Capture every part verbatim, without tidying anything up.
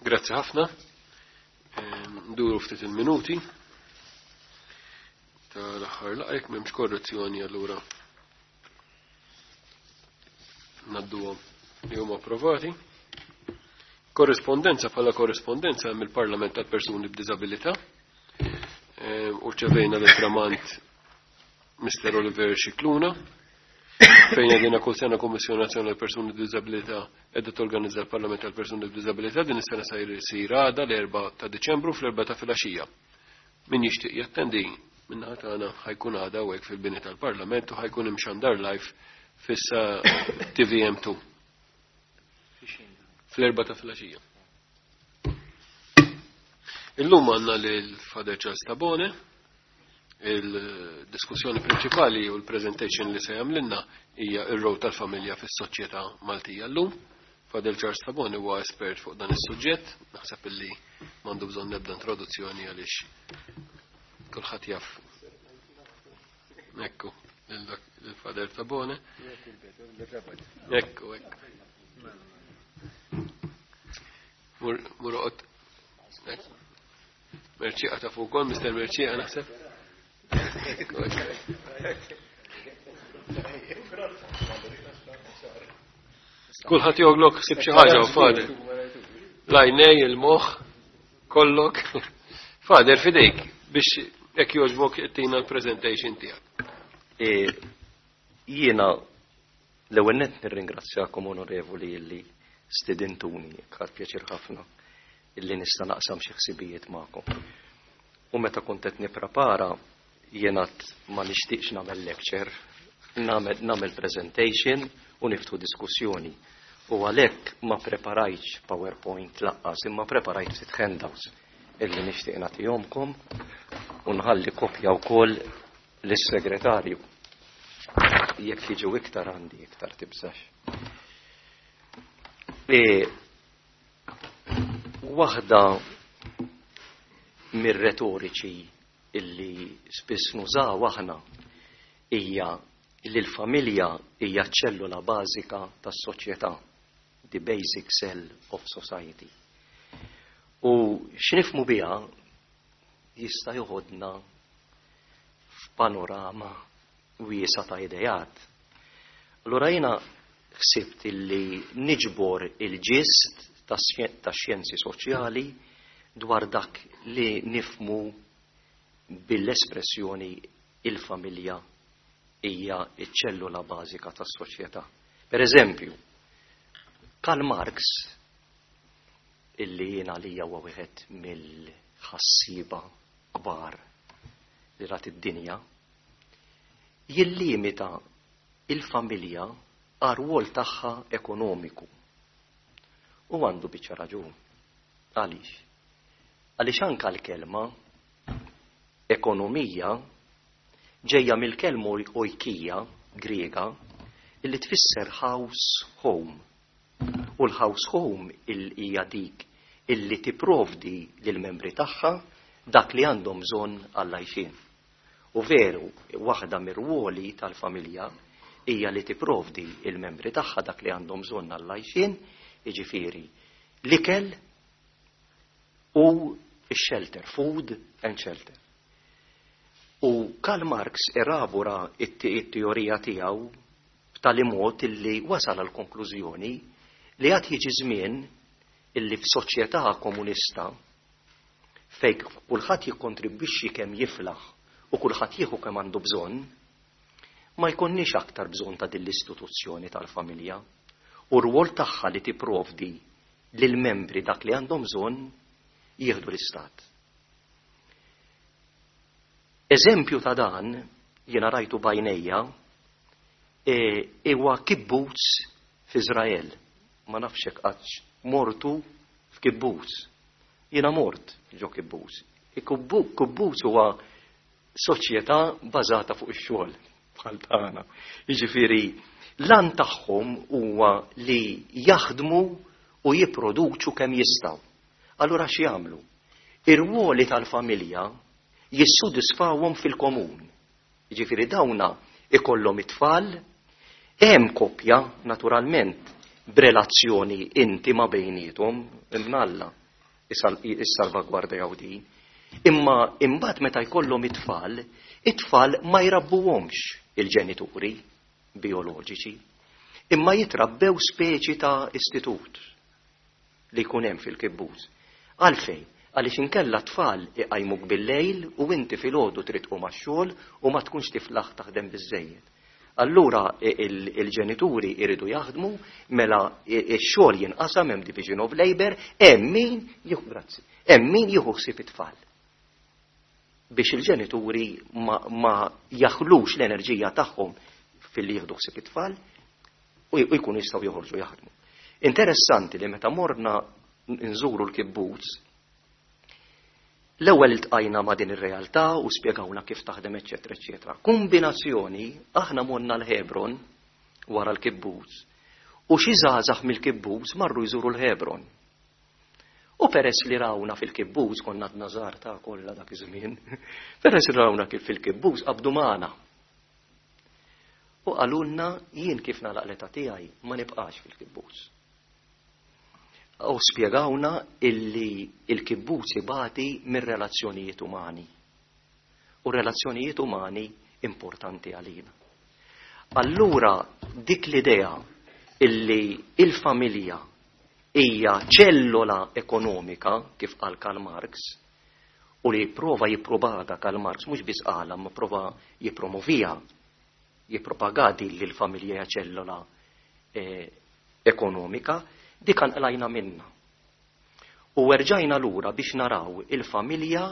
Grazzi ħafna. Nduru ftit il-minuti tal-aħħar laqgħa, jekk m'hemmx korrezzjoni allura ngħadduhom li huma approvati. Korrespondenza. Bħala korrespondenza hemm il-Parlament tal-Persuni b'Diżabilità. U rċevejna l-tramant Mister Oliver Scicluna, fejn għedina kull sena Kommissjoni Nazzjonali Persuni b'Diżabilità qiegħda torganizza l-Parlament tal-Persuni b'Diżabilità. Din is-sena se jsir għada, l-erbgħa ta' Diċembru, fl-erbgħa ta' filgħaxija. Min jixtieq jattendi minna tagħna, ħa jkun għada hawnhekk fil-bini tal-Parlament u ħa jkun imxandar live fissa T V M two fl-erbgħa ta' filgħaxija. Illum għandna lil Father Charles Tabone. Il-diskussjoni prinċipali u l-presentation li se jagħmlilna hija ir-rol tal-familja fis-soċjetà Maltija llum. Father Charles Tabone huwa espert fuq dan is-suġġett, naħseb illi m'għandu bżonn nebda introduzzjoni għaliex kulħadd jaf. Ekku, il-Father Tabone. Ekku, ekku. Mur, mur oqgħod. Merċieqa ta' fuq ukoll, Mister Merċieqa naħseb. Ekku, ekku. Kulħadd joglok sib xi ħaġa u Father. L-għajnej, il-moħħ, kollok. Father, fidejk biex jekk jogħġbok tina l-presentation tiegħek. E, jiena l-ewwel nett nirringrazzjakom, onorevoli, illi stidintuni, ħadt pjaċir ħafna illi nista' naqsam xi ħsibijiet magħkom. U meta kont qed nipprepara, jiena ma nixtieqx nagħmel lecture, nagħmel nagħmel presentation u niftħu diskussjoni. U għalhekk ma preparajtx PowerPoint lanqas, imma preparajt ftit handouts illi nixtieq nagħtihomkom u nħalli kopja wkoll lis-segretarju. Jekk jiġu iktar, għandi iktar, tibżax. E, waħda mir-retoriċi illi spiss nużaw aħna hija li l-familja hija ċellula bażika tas-soċjetà, the basic cell of society. U x'nifhmu biha jista' joħodna f'panorama wiesa ta' idejat. Allura jiena ħsibt illi niġbor il-ġist ta' xjenzi soċjali dwar dak li nifhmu bil-espressjoni "il-familja hija iċ-ċellula bażika tas-soċjetà". Per eżempju, Karl Marx, illi jiena li huwa wieħed mill-ħassiba kbar li rat id-dinja, jillimita il-familja għar-rwol tagħha ekonomiku. U għandu biċċa raġun. Għaliex? Għaliex anka l-kelma ekonomija ġejja mill-kelma oikija Griega illi tfisser house home. U l-house home hija dik illi tipprovdi lill-membri tagħha dak li għandhom bżonn għall-għajxien. U veru, waħda mir-rwoli tal-familja hija li tipprovdi il-membri tagħha dak li għandhom bżonn għall-għajxien, jiġifieri l-ikel u x-shelter, food and shelter. U Karl Marx elabora it-teorija tiegħu b'tali mod illi wasal għal konklużjoni li għad jiġi żmien illi f'soċjetà komunista fejn kulħadd jikkontribwixxi kemm jiflaħ u kulħadd jieħu kemm għandu bżonn, ma jkunniex aktar bżonn ta' din l-istituzzjoni tal-familja u r-rwol tagħha li tipprovdi lill-membri dak li għandhom bżonn jieħdu l-istat. Eżempju ta' dan jiena rajtu b'għajnejja, e, huwa kibbutz f'Iżrael. Ma nafx hekk qattx mortu f'kibbutz. Jiena mort ġo kibbutz. Kibbutz huwa soċjetà bażata fuq ix-xogħol bħal tagħna. Jiġifieri l-għan tagħhom huwa li jaħdmu u jipproduċu kemm jistgħu. Allura x'jagħmlu? Ir-ruoli tal-familja jissodisfawhom fil-komun. Jiġifieri dawna ikollhom it-tfal, hemm koppja naturalment b'relazzjoni intima bejniethom, imnalla. Issalvagwardjaw din. Imma imbagħad meta jkollhom it-tfal, it-tfal ma jrabbuhomx il-ġenituri bioloġiċi, imma jitrabbew speċi ta' istitut li jkun hemm fil-kibbutz. Għalfejn? Għaliex inkella tfal iqajmuk bil-lejl u inti filgħodu trid tqum għax-xogħol u ma tkunx tiflaħ taħdem biżejjed. Allura il-ġenituri iridu jaħdmu, mela x-xogħol jinqasam, hemm division of labor, hemm min jieħu, grazzi, hemm min jieħu ħsieb it-tfal. Biex il-ġenituri ma, ma jaħlux l-enerġija tagħhom fil-li jieħdu ħsieb it-tfal u jkunu jistgħu joħorġu jaħdmu. Interessanti li meta morna nżuru l-kibbutz, l-ewwel iltqajna ma' din ir-realtà u spjegawna kif taħdem, eċetera, eċetera. Kombinazzjoni, aħna morna l-Hebron wara l-kibbutz u xi żgħażagħ mill-kibbutz marru jżuru l-Hebron. U peress li rawna fil-kibbutz, konna għadna żgħar ta' kollha dak iż-żmien, peress li rawna kif fil-kibbutz qabdu magħna. U qalulna, "Jien kif nagħlaq l-età tiegħi ma nibqax fil-kibbutz." U spjegawna illi il-kibbutz ibati mir-relazzjonijiet umani. U relazzjonijiet umani importanti għalina. Allura dik l-idea illi il-familja hija ċellola ekonomika, kif qal Karl Marx, u li prova jippropaga Karl Marx, mhux biss qala, ma prova jippromovija, jippropaga din li l-familja hija ċellola eh, ekonomika, dik qlajna minna. U erġajna lura biex naraw il-familja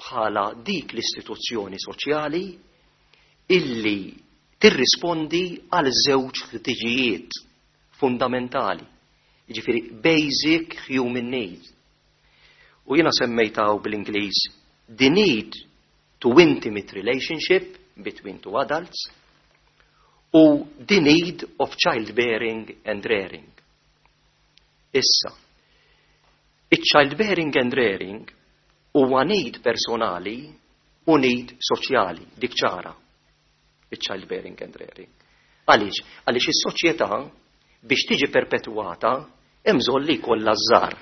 bħala dik l-istituzzjoni soċjali illi tirrispondi għal żewġ ħtiġijiet fundamentali. Jiġifieri basic human needs. U jiena semmejtaw bl-Ingliż the need to intimate relationship between two adults u the need of childbearing and rearing. Issa, il-childbearing and rearing huwa need personali u need soċjali, dik ċara. Il-childbearing and rearing. Għaliex? Għaliex is-soċjetà biex tiġi perpetuata hemm bżonn li jkollha żgħar.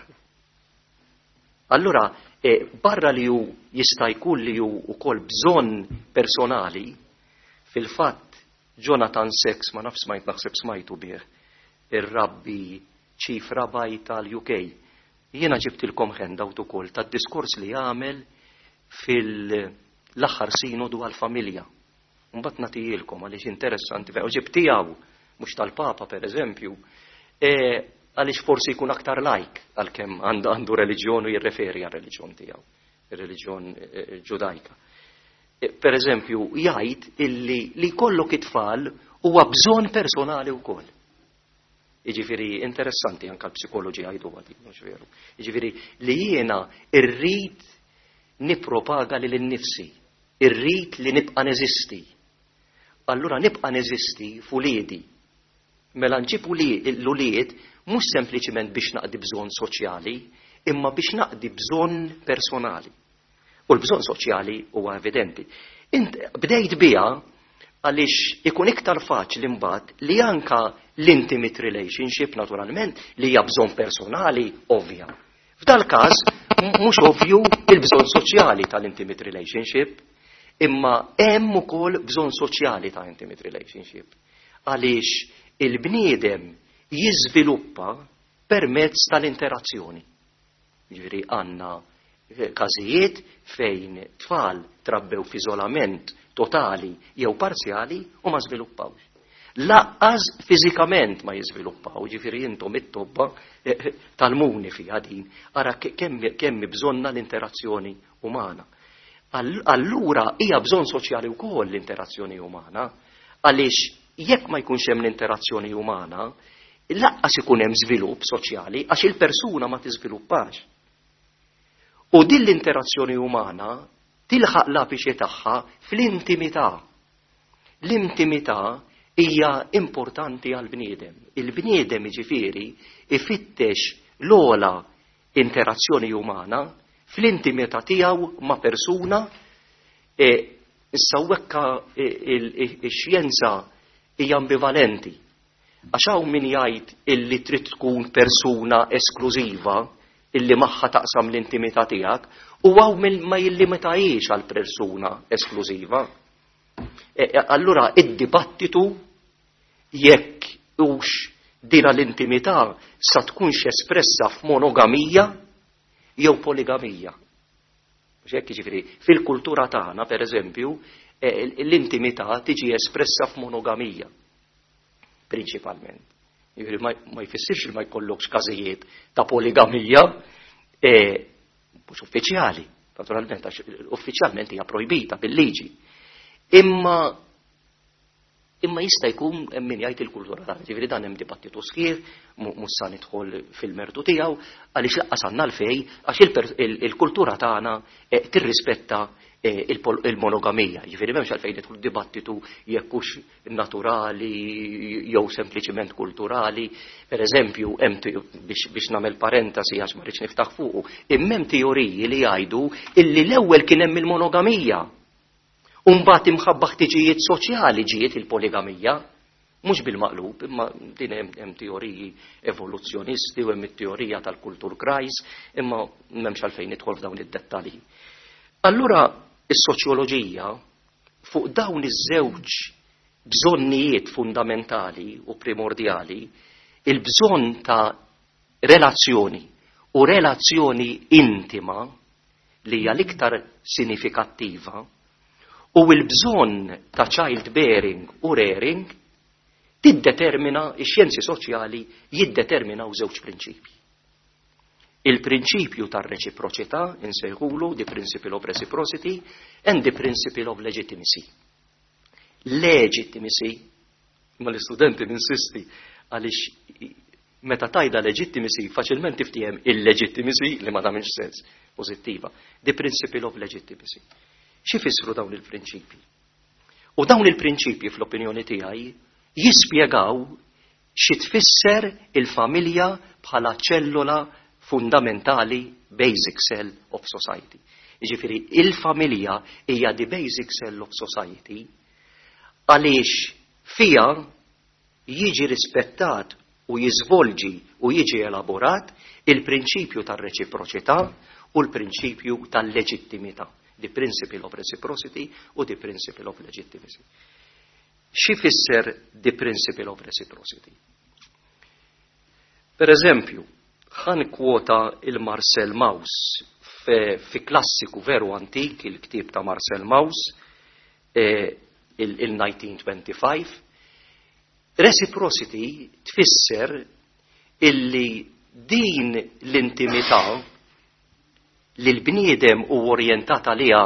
Allura, e, barra li hu jista' jkun li hu wkoll bżonn personali, fil-fatt Jonathan Sacks, ma nafx smajt, naħseb smajtu bih, ir-rabbi, chief rabbi tal-U K. Jiena ġibtilkom handout ukoll tad-diskors li għamel fil-aħħar sinodu għal-familja. Mbagħad nagħtihilkom għaliex interessanti, u ġibt tiegħu mhux tal-Papa, per eżempju, e, għaliex forsi jkun aktar lajk, għalkemm għandu reliġjon u jirreferi għal reliġjon tiegħu, ir-reliġjon e, e, ġudajka. Per eżempju, jgħid illi li jkollok it-tfal huwa bżonn personali wkoll. Jiġifieri interessanti, anka l-psikoloġi jgħidu għadi, mhux veru? Jiġifieri li jiena irrid nipropaga lili nnifsi, irrid li nibqa' neżisti. Allura nibqa' neżisti f'uliedi. Mela nġib l-ulied mhux sempliċiment biex naqdi bżonn soċjali, imma biex naqdi bżonn personali. U l-bżonn soċjali huwa evidenti. Int bdejt biha għaliex ikun iktar faċli mbagħad li anka l-intimate relationship, naturalment li hija bżonn personali ovvja. F'dal każ mhux ovvju il-bżonn soċjali tal-intimate relationship, imma hemm ukoll bżonn soċjali ta' intimate relationship. Għaliex il-bniedem jiżviluppa permezz tal-interazzjoni. Ġifieri għandna każijiet fejn tfal trabbew f'iżolament totali jew parzjali u ma żviluppawx. Lanqas fiżikament ma jiżviluppaw, ġifieri intom it-tobba eh, eh, tal-muni fiha din, ara kemm kemm bżonna l-interazzjoni umana. Allura hija bżonn soċjali wkoll l-interazzjoni umana, għaliex jekk ma jkunx hemm l-interazzjoni umana, lanqas ikun hemm żvilupp soċjali, għax il-persuna ma tiżviluppax. U din l-interazzjoni umana tilħaq l-apiċi tagħha fl-intimità. L-intimità hija importanti għal bniedem. Il-bniedem, jiġifieri, ifittex l-ogħla interazzjoni umana fl-intimità tiegħu ma' persuna. E issa wekka ix-xjenza hija ambivalenti. Għax hawn min jgħid illi trid tkun persuna esklużiva illi magħha taqsam l-intimità tiegħek u hawn ma jillimitahiex għal persuna esklużiva. E, e, allura id-dibattitu jekk hux dina l-intimità sa tkunx espressa f'monogamija jew poligamija. Mhux hekk, jiġifieri fil-kultura tagħna, pereżempju, e, l-intimità tiġi espressa f'monogamija prinċipalment. Jiġifieri ma jfissirx li ma jkollokx każijiet ta' poligamija, e, mhux uffiċjali, naturalment, għax uffiċjalment hija projbita bil-liġi. Imma imma jista' jkun hemm min jgħid il-kultura tagħna, ġifieri dan hemm dibattitu sħiħ, mhux sa nidħol fil-mertu tiegħu, għaliex lanqas għandna l-fej, għax il-kultura tagħna eh, tirrispetta eh, il-monogamija. Ġifieri m'hemmx għalfejn nidħol dibattitu jekk hux naturali jew sempliċiment kulturali. Per eżempju, biex nagħmel parentesi għax ma rridx niftaħ fuqu, imma hemm teoriji li jgħidu illi l-ewwel kien hemm il-monogamija. Umbagħad imħabba ħtiġijiet soċjali ġiet il-poligamija, mhux bil-maqlub, imma din hemm teoriji evoluzzjonisti u hemm it-teorija tal-Kulturkreis, imma m'hemmx għalfejn nidħol f'dawn id-dettalji. Allura is-soċjoloġija fuq dawn iż-żewġ bżonnijiet fundamentali u primordjali, il-bżonn ta' relazzjoni u relazzjoni intima li hija l-iktar sinifikattiva u l-bżonn ta' child bearing u rearing tiddetermina, ix-xjenzi soċjali jiddeterminaw żewġ prinċipji. Il-prinċipju tar-reċiproċità, insejħulu the principle of reciprocity, and the principle of legitimacy. Legitimacy, ma l-istudenti ninsisti, għaliex meta tgħidha legitimacy faċilment tiftiehem illegitimacy li ma tagħmilx sens pożittiva. The principle of legitimacy. Xi fissru dawn il-prinċipji? U dawn il-prinċipji fl-opinjoni tiegħi jispjegaw xi tfisser il-familja bħala ċellola fundamentali, basic cell of society. Jiġifieri il-familja hija the basic cell of society għaliex fija jiġi rispettat u jiżvolġi u jiġi elaborat il-prinċipju tar-reċiproċità u l-prinċipju tal-leġittimità. The principle of reciprocity u the principle of legitimacy. Xi fisser the principle of reciprocity? Per eżempju, ħa nikkwota il-Marcel Mauss fi klassiku veru antik, il-ktib ta' Marcel Mauss, eh, il-elf disa' mija u tmien u għoxrin. Reciprocity tfisser illi din l-intimità li l-bniedem u orjentat għaliha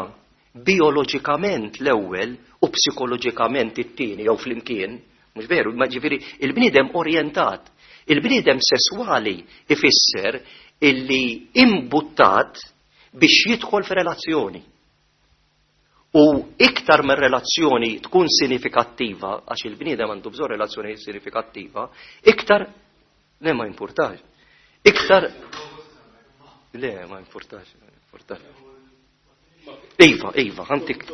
bioloġikament l-ewwel u psikoloġikament it-tieni jew flimkien, mhux veru, ma ġifieri il-bniedem orjentat. Il-bniedem sesswali ifisser illi imbuttat biex jidħol f'relazzjoni. U iktar minn relazzjoni tkun sinifikattiva, għax il-bniedem għandu bżonn relazzjoni sinifikattiva, iktar, le, ma importax, iktar, le, ma importax, ma importax. Iva, iva, ħa ntik.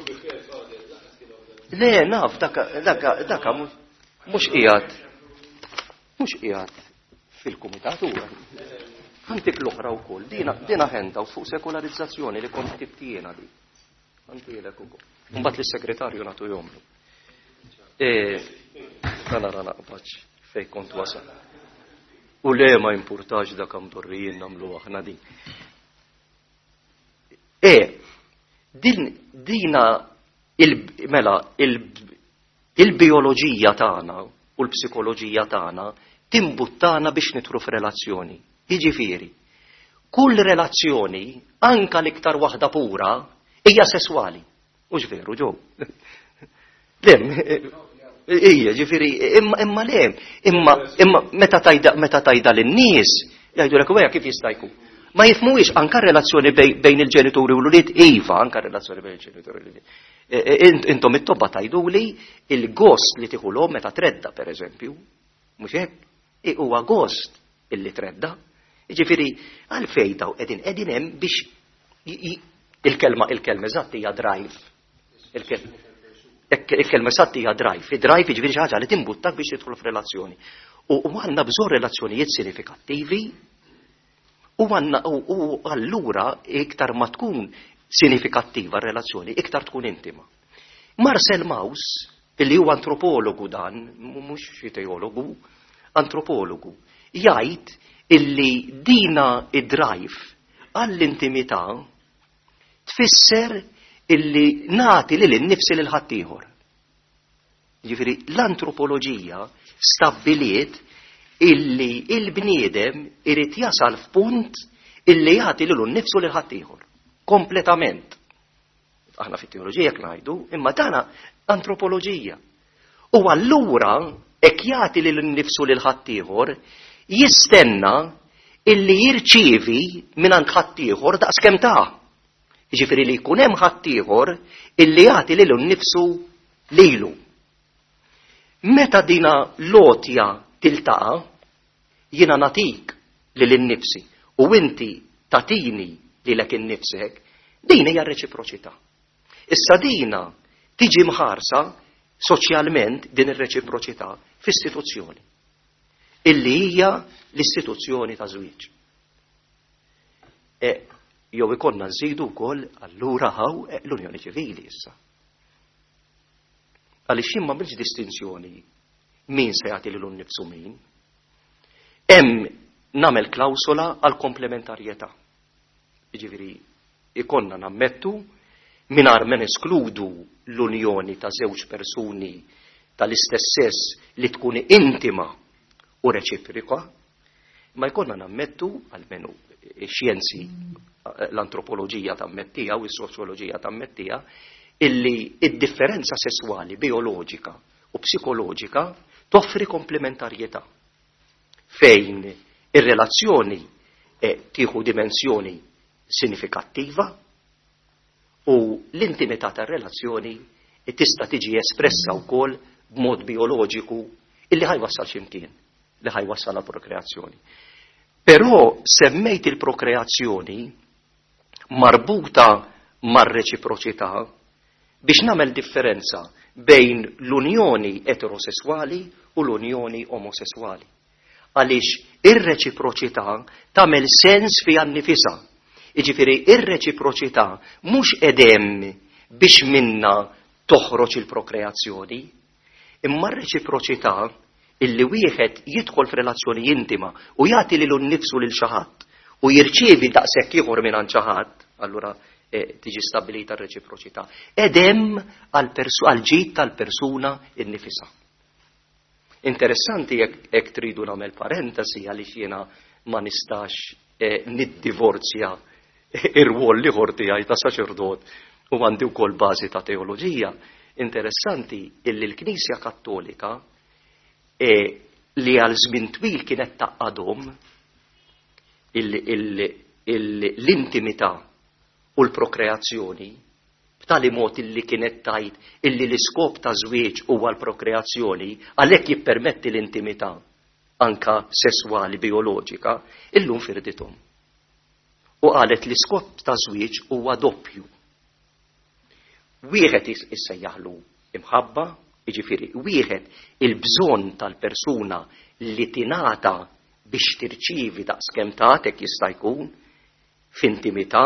Le, naf, daka, daka, daka, mhux qiegħed, mhux qiegħed fil-kumitat huwa. Ħa ntik l-oħra wkoll, dina, dina handout fuq sekolarizzazzjoni li kont ktibt jiena di. Ħa ntihielek ukoll. Mbagħad lis-segretarju nagħtu jomlu. E, nara naqbaċ fej kont wasal. U le, ma importax, dak mdorrijin nagħmlu aħna din. E, din, dina il, mela, il, il-bioloġija tagħna u l-psikoloġija tagħna timbuttana biex nidħlu f'relazzjoni. Jiġifieri, kull relazzjoni, anka l-iktar waħda pura, hija sesswali. Mhux veru, ġo? Le, ija, ġifieri, imma, imma le, imma, imma meta tgħidha, meta tgħidha lin-nies, jgħidu kif jista' jkun. Ma jifhmuhiex anka relazzjoni bejn il-ġenituri u l-ulied, iva, anka relazzjoni bejn il-ġenituri u l-ulied. E, e, intom it-tobba tgħiduli il-gost li tieħu l meta tredda, per eżempju, mhux hekk? Huwa gost illi tredda. Ġifieri, għalfejn daw qegħdin qegħdin hemm biex il-kelma il-kelma eżatt hija drive. Il-kelma eżatt hija drive. Drive jiġifieri xi ħaġa li timbuttak biex tidħol f'relazzjoni. U għandna bżonn relazzjonijiet sinifikattivi U għanna u allura iktar ma tkun sinifikattiva r-relazzjoni, iktar tkun intima. Marcel Mauss, illi huwa antropologu dan, mhux xi teologu, antropologu, jgħid illi dina id-drive għall-intimità tfisser illi nagħti lil innifsi lil ħaddieħor. Jiġifieri l-antropoloġija stabbiliet illi il-bniedem irid jasal f'punt illi jagħti lilu nnifsu lil ħaddieħor. Kompletament. Aħna fit-teoloġija ngħidu, imma dana antropoloġija. U allura hekk jagħti lil nnifsu lil ħaddieħor jistenna illi jirċievi mingħand ħaddieħor daqskemm ta'. Jiġifieri li jkun hemm ħaddieħor illi jagħti lilu nnifsu lilu. Meta dina l-għotja tiltaqa', jiena nagħtik lil innifsi u inti tagħtini lilek innifsek, din hija reċiproċità. Issa dina tiġi mħarsa soċjalment din ir-reċiproċità f'istituzzjoni illi hija l-istituzzjoni ta' żwieġ. E, jew ikollna nżidu wkoll allura hawn e, l-Unjoni Ċivili issa. Għaliex jien m'għamilx distinzjoni min se jagħti lilu nnifsu min. Hemm nagħmel klawsola għal komplementarjetà. Jiġifieri ikollna nammettu mingħajr ma neskludu l-unjoni ta' żewġ persuni tal-istess sess li tkun intima u reċiproka, ma jkollna nammettu, almenu xjenzi, l-antropoloġija tammettija u s-soċjoloġija tammettija, illi id-differenza sessuali, bioloġika u psikoloġika toffri komplementarjetà fejn ir-relazzjoni eh, tieħu dimensjoni sinifikattiva u l-intimità tar-relazzjoni tista' tiġi espressa wkoll b'mod bioloġiku illi ħa jwassal x'imkien, li ħa jwassal għal prokreazzjoni. Però semmejt il-prokreazzjoni marbuta mar-reċiproċità biex nagħmel differenza bejn l-unjoni eterosessuali u l-unjoni omosessuali. Għaliex ir-reċiproċità tagħmel sens fiha nnifisha. Jiġifieri ir-reċiproċità mhux edem biex minna toħroġ il-prokreazzjoni, imma r-reċiproċità illi wieħed jidħol f'relazzjoni intima u jagħti lilu nnifsu lil xi ħadd u jirċievi daqshekk ieħor minn xi ħadd, allura eh, tiġi stabilita r-reċiproċità. Edem għal ġid tal-persuna innifisha. Interessanti jekk tridu nagħmel parentesi għaliex jiena ma nistax eh, niddivorzja ir-rwol l-ieħor tiegħi ta' saċerdot u għandi wkoll bażi ta' teoloġija. Interessanti illi l-Knisja Kattolika eh, li għal żmien twil kienet tgħaqqadhom l-intimità u l-prokreazzjoni b'tali mod illi kienet tgħid illi l-iskop ta' żwieġ huwa l-prokreazzjoni, għalhekk jippermetti l-intimità anka sesswali bioloġika, illum firdithom. U qalet l-iskop ta' żwieġ huwa doppju. Wieħed issejjaħlu imħabba, jiġifieri wieħed il-bżonn tal-persuna li tingħata biex tirċivi daqskemm tagħtek jista' jkun f'intimità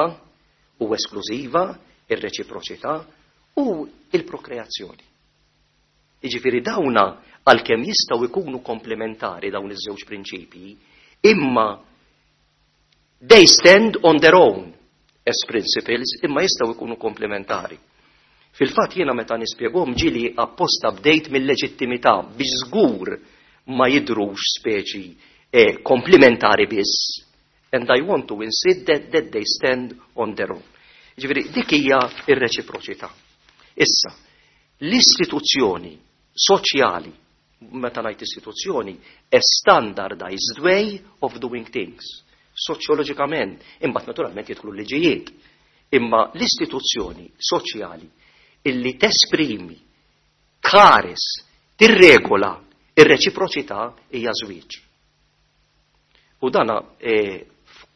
u esklużiva, ir-reċiproċità u il-prokreazzjoni. Jiġifieri dawna għalkemm jistgħu jkunu komplementari dawn iż-żewġ prinċipji, imma they stand on their own as principles, imma jistgħu jkunu komplementari. Fil-fatt jiena meta nispjegahom ġieli apposta bdejt mill-leġittimità biex żgur ma jidrux speċi eh, komplementari biss. And I want to insist that, that they stand on their own. Ġifieri, dik hija ir-reċiproċità. Issa, l-istituzzjoni soċjali, meta ngħid istituzzjoni, a standardized way of doing things. Soċjoloġikament, imbagħad naturalment jidħlu liġijiet. Imma l-istituzzjoni soċjali illi tesprimi, tħares, tirregola ir-reċiproċità hija żwieġ. U dana e,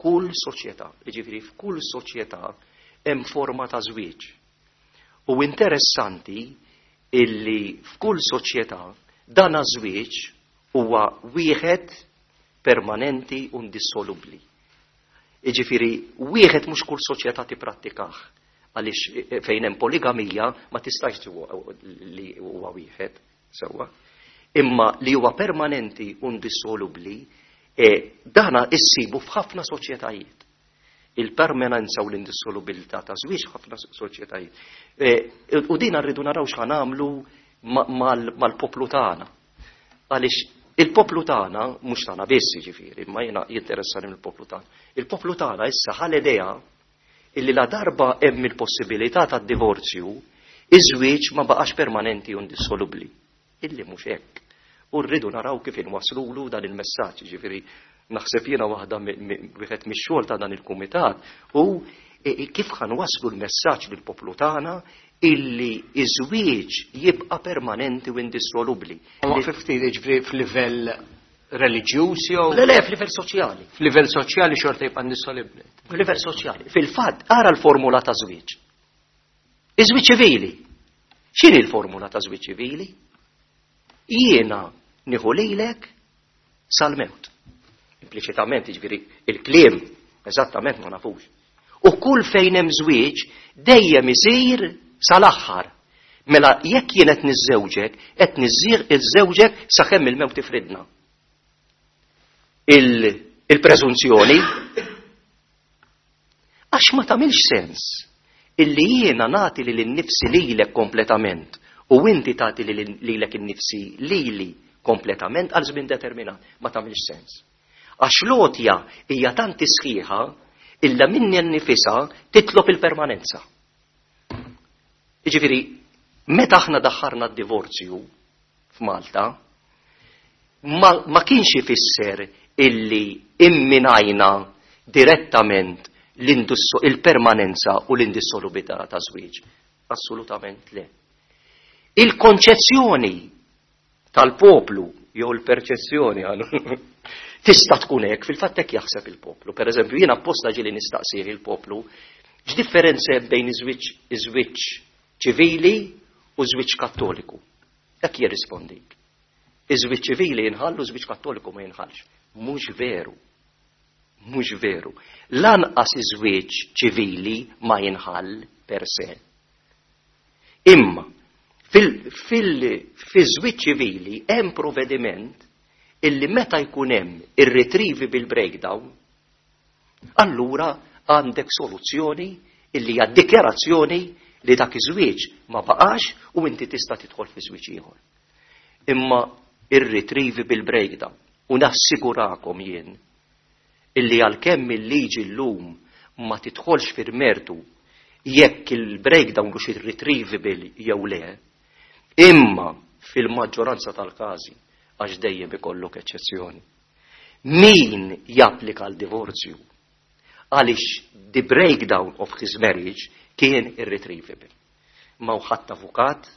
f'kull soċjetà, jiġifieri f'kull soċjetà hemm forma ta' żwieġ. U interessanti illi f'kull soċjetà dana żwieġ huwa wieħed permanenti u indissolubbli. Jiġifieri wieħed mhux kull soċjetà tipprattikah, għaliex fejn hemm poligamija ma tistax li huwa wieħed sewwa. Imma li huwa permanenti u indissolubbli, dana issibu f'ħafna soċjetajiet. Il-permanenza u l-indissolubilità ta' żwieġ ħafna soċjetajiet. U din rridu naraw x'ħa nagħmlu mal-poplu tagħna. Għaliex il-poplu tagħna, mhux tagħna biss jiġifieri, imma jiena jinteressani mill-poplu tagħna. Il-poplu tagħna issa ħa l-idea illi la darba hemm il-possibilità tad-divorzju, iż-żwieġ ma baqax permanenti u indissolubbli. Illi mhux hekk. U rridu naraw kif inwaslulu dan il-messaġġ, jiġifieri naħseb jiena waħda wieħed mix-xogħol ta' dan il-kumitat u kif ħanwasslu l-messaġġ lill-poplu tagħna illi iż-żwieġ jibqa' permanenti u indissolubbli. Ma ftit jiġifieri f'livell reliġjuż jew? Le, le, f'livell soċjali. F'livell soċjali xorta jibqa' indissolubbli. F'livell soċjali. Fil-fatt, ara l-formula ta' żwieġ. Iż-żwieġ ċivili. X'inhi l-formula ta' żwieġ ċivili? Jiena nieħu lilek sal-mewt. Impliċitament, jiġifieri il-kliem eżattament ma nafux. U kull fejn hemm żwieġ dejjem isir sal-aħħar. Mela jekk jien qed niżżewġek, qed niżżewġek sakemm il-mewt tifridna. Il-preżunzjoni għax ma tagħmilx sens illi jiena nagħti lil innifsi lilek kompletament u inti tagħti lilek innifsi lili kompletament għal żmien determinat. Ma tagħmilx sens. Għax l-għotja hija tant sħiħa illa minni nnifisha titlob il-permanenza. Jiġifieri, meta aħna daħħarna d-divorzju f'Malta, ma, ma kienx ifisser illi imminajna direttament il-permanenza u l-indissolubilità ta' żwieġ. Assolutament le. Il-konċezzjoni tal-poplu jew il-perċezzjoni tista' tkun hekk, fil-fatt hekk jaħseb il-poplu. Per eżempju, jiena apposta ġieli nistaqsih il-poplu x'differenza hemm bejn iż-żwieġ ċivili u żwieġ kattoliku. Hekk jirrispondik. Iż-żwieġ ċivili jinħall u żwieġ kattoliku ma jinħallx. Mhux veru. Mhux veru. Lanqas iż-żwieġ ċivili ma jinħall per se. Imma fil-żwieġ ċivili hemm provvediment illi meta jkun hemm irretrievable breakdown, allura għandek soluzzjoni illi hija dikjarazzjoni li dak iż-żwieġ ma baqax u inti tista' tidħol fi żwieġ ieħor. Imma irretrievable breakdown, u nassigurakom jien illi għalkemm il-liġi llum ma tidħolx fil-mertu jekk il-breakdown hux irretrievable jew le, imma fil-maġġoranza tal-każi għax dejjem ikollok eċċezzjoni. Min japplika l-divorzju għaliex the breakdown of his marriage kien irretrievable. Ma ħadd avukat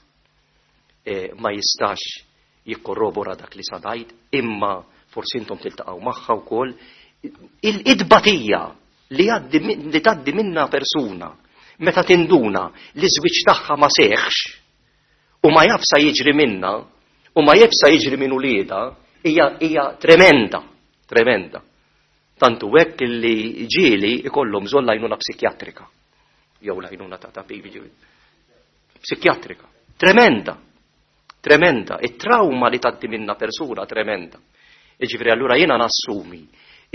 eh, ma jistax jikkorrobora dak li sadajt, imma forsi intom tiltaqgħu magħha wkoll. Il-idbatija li li tgħaddi minna persuna meta tinduna li żwieġ tagħha ma seħħx u ma jafsa jiġri minna u ma jafsa jiġri minn ulieda hija hija tremenda, tremenda. Tantu hekk li ġieli ikollhom bżonn l-għajnuna psikjatrika. Jew l-għajnuna ta' tabib psikjatrika. Tremenda. Tremenda. It-trauma li tgħaddi minna persuna tremenda. Jiġifieri allura jiena nassumi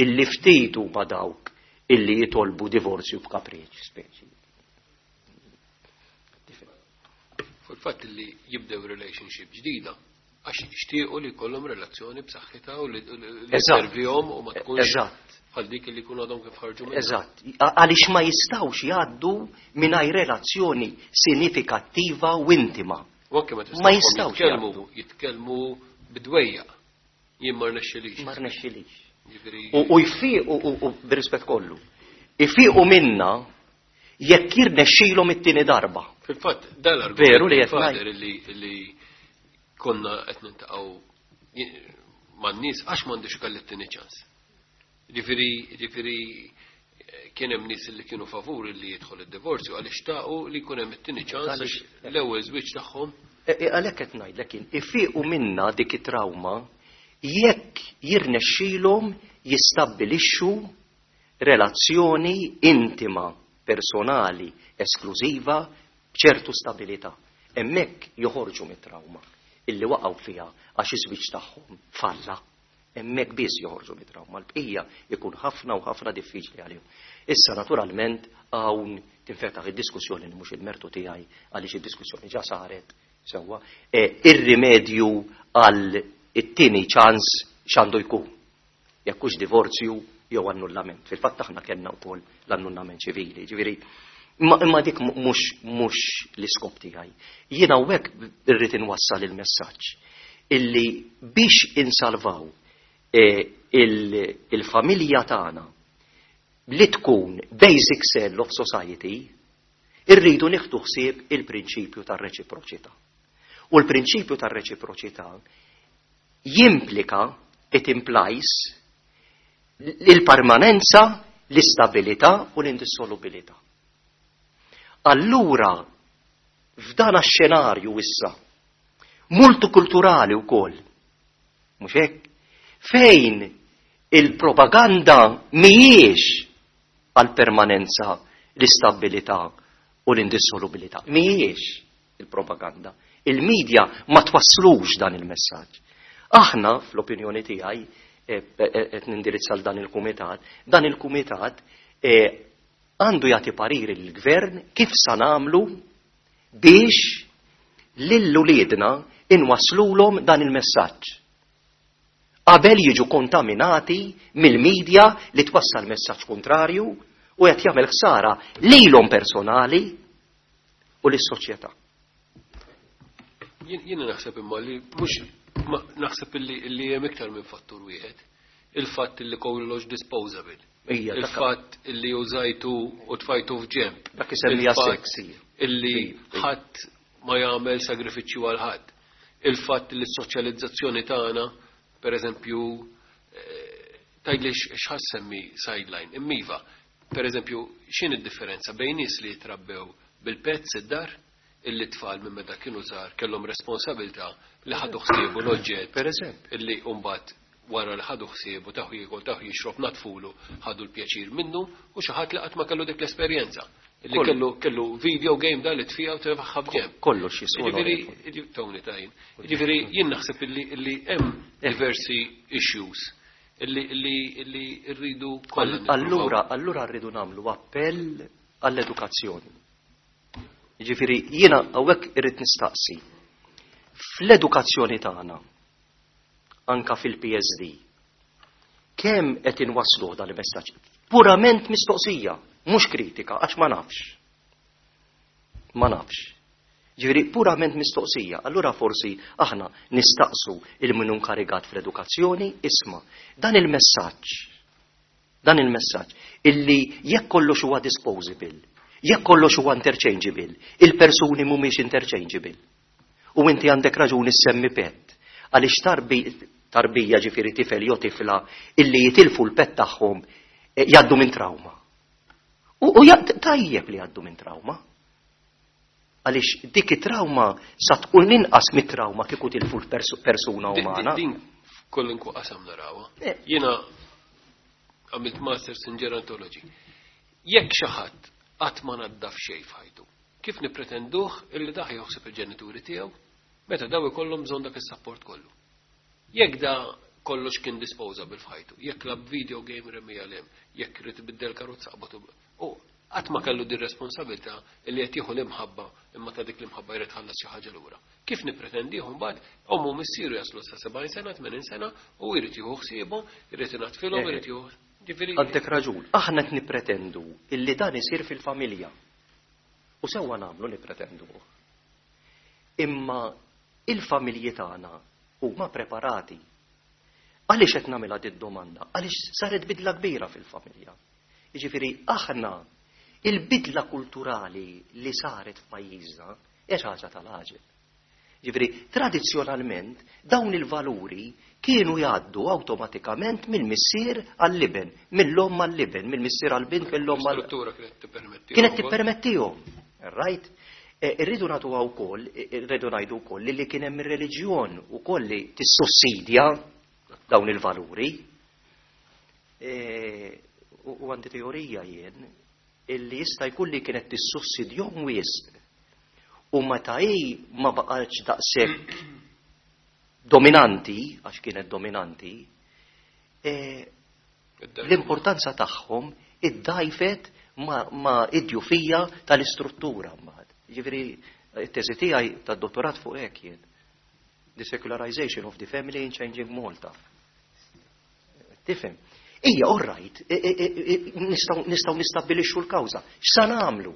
illi ftit huma dawk illi jitolbu divorzju b'kapriċ speċi. Fil-fatt li jibdew relationship ġdida għax jixtiequ li jkollhom relazzjoni b'saħħitha u li servihom u ma tkunx bħal dik li jkunu għadhom kif ħarġu minnha. Eżatt. Għaliex ma jistgħux jgħaddu mingħajr relazzjoni sinifikattiva u intima. U anke meta Ma jistgħux jitkellmu jitkellmu bidwejja. Jien ma rnexxilix. Ma rnexxilix. U jfiqu u b'rispett kollu. Ifiqu minna jekk jirnexxilhom it-tieni darba. Fil-fatt, dal-argument veru li qed ngħid li konna qed nintaqgħu man-nies għax m'għandux ikolli t-tieni ċans. Ġifieri ġifieri kien hemm nies li kienu favur li jidħol id-divorzju għaliex xtaqu li jkun hemm it-tieni ċans għax l-ewwel żwieġ tagħhom. Għalhekk qed ngħidlek jien, ifiqu minna dik it-trawma jekk jirnexxilhom jistabbilixxu Relazzjoni intima, personali, esklużiva, b'ċertu stabilità. Hemmhekk joħorġu mit-trauma illi waqgħu fiha għax iż-żwieġ tagħhom falla. Hemmhekk biss joħorġu mit-trauma, l-bqija jkun ħafna u ħafna diffiċli għalihom. Issa naturalment hawn tinfetaħ id-diskussjoni li mhux il-mertu tiegħi għaliex id-diskussjoni ġa saret sewwa, e, ir-rimedju għal it-tieni ċans x'għandu jkun. Jekk hux divorzju jew annullament. Fil-fatt aħna kellna wkoll l-annullament ċivili, ġifieri imma dik mhux mhux l-iskop tiegħi. Jiena hawnhekk irrid inwassal il-messaġġ illi biex insalvaw e, il-familja tagħna li tkun basic cell of society, irridu nieħdu ħsieb il-prinċipju tar-reċiproċità. U l-prinċipju tar-reċiproċità jimplika, it implies, il-permanenza, l-istabilità u l-indissolubilità. Allura, f'dan x-xenarju issa, multikulturali wkoll, mhux hekk, fejn il-propaganda mhijiex għal-permanenza, l-istabilità u l-indissolubilità. Mhijiex il-propaganda. Il-medja ma twasslux dan il-messaġġ. Aħna, fl-opinjoni tiegħi, qed nindirizza dan il-kumitat, dan il-kumitat għandu jagħti pariri lill-gvern kif sa nagħmlu biex lil uliedna inwaslulhom dan il-messaġġ. Qabel jiġu kontaminati mill-medja li twassal messaġġ kontrarju u qed jagħmel ħsara lilhom personali u lis-soċjetà. Jiena naħseb imma li mhux naħseb li hemm iktar minn fattur wieħed. Il-fatt li kollox disposable. Il-fatt li użajtu u tfajtu f'ġemp. Dak isemmija sexy. Illi ħadd ma jagħmel sagrifiċċju għal ħadd. Il-fatt li s-soċjalizzazzjoni tagħna, per eżempju, tgħidli x'ħa ssemmi sideline. Imma iva, per eżempju, x'in id-differenza bejn nies li jitrabbew bil-pets id-dar, illi tfal minn meta kienu żgħar kellhom responsabilità li ħadu ħsiebu l-oġġett. Per eżempju. Illi mbagħad wara li ħadu ħsiebu taħu jiekol taħu jixrob natfulu ħadu l-pjaċir minnu u xi ħadd li qatt ma kellu dik l-esperjenza. Illi kellu kellu video game da li tfija u tefagħha f'ġenb. Kollox jiswa. Jiġifieri Tony tajn. Jiġifieri jien naħseb illi illi hemm diversi issues illi illi illi rridu kollha. Allura allura rridu nagħmlu appell għall-edukazzjoni. Jiġifieri jiena hawnhekk irrid nistaqsi. Fl-edukazzjoni tagħna, anka fil-P S D, kemm qed inwasslu dan il-messaġġ? Purament mistoqsija, mhux kritika, għax ma nafx. Ma nafx. Ġifieri purament mistoqsija. Allura forsi aħna nistaqsu lil min inkarigat fl-edukazzjoni, isma' dan il-messaġġ. Dan il-messaġġ illi jekk kollox huwa disposable, jekk kollox huwa interchangeable, il-persuni mhumiex interchangeable. U inti għandek raġuni semmi pet. Għaliex tarbi, tarbija ġifieri tifel jew tifla illi jitilfu l-pet tagħhom eh, jgħaddu minn trauma. U, u tajjeb li jgħaddu minn trauma. Għaliex dik it-trauma sa tkun inqas mit-trauma kieku tilfu l-persuna umana. Din kwalunkwe qasam narawha. Eh. Jiena għamilt Masters in Gerontology. Jekk xi ħadd qatt ma naddaf xejn f'ħajtu, kif nipretenduh illi dak jaħseb il-ġenituri tiegħu meta daw ikollhom bżonn dak is-support kollu? Jekk da kollox kien disposable f'ħajtu, jekk lagħab video game remieha 'l hemm, jekk irid ibiddel karozza qabatu. U qatt ma kellu din responsabilità illi qed jieħu l-imħabba imma ta' dik l-imħabba jrid ħallas xi ħaġa lura. Kif nippretendihom mbagħad ommu missieru jaslu sa sebgħin sena, tmenin sena u jrid jieħu ħsiebhom, jrid inaddfilhom, jrid jieħu Għandek raġun, aħna qed nippretendu illi dan isir fil-familja. U sewwa nagħmlu nippretendu. Imma il-familji tagħna huma preparati. Għaliex qed nagħmilha dit domanda? Għaliex saret bidla kbira fil-familja. Jiġifieri aħna il-bidla kulturali li saret f'pajjiżna hija xi ħaġa tal-għaġeb. Ġifieri, tradizzjonalment dawn il-valuri kienu jgħaddu awtomatikament mill-missier għall-iben, mill-omm għall-iben, mill-missier għall-bint, mill-omm għall Struttura kienet tippermettihom. Kienet tippermettihom. Right? E, irridu nagħtu wkoll, irridu ngħidu wkoll li kien hemm ir-reliġjon ukoll li tissussidja dawn il-valuri. E, U għandi teorija jien illi jista' jkun li kienet tissussidjahom wisq u meta hi ma baqgħetx daqshekk dominanti, għax kienet dominanti, eh, l-importanza tagħhom iddajfet ma, ma id-djufija tal-istruttura mbagħad. Ġifieri it-teżi tiegħi tad-dottorat fuq hekk jien. The Secularization of the Family in Changing Malta. Tifhem? Ija, all right, nistgħu nistgħu nistabbilixxu l-kawża. X'sa nagħmlu?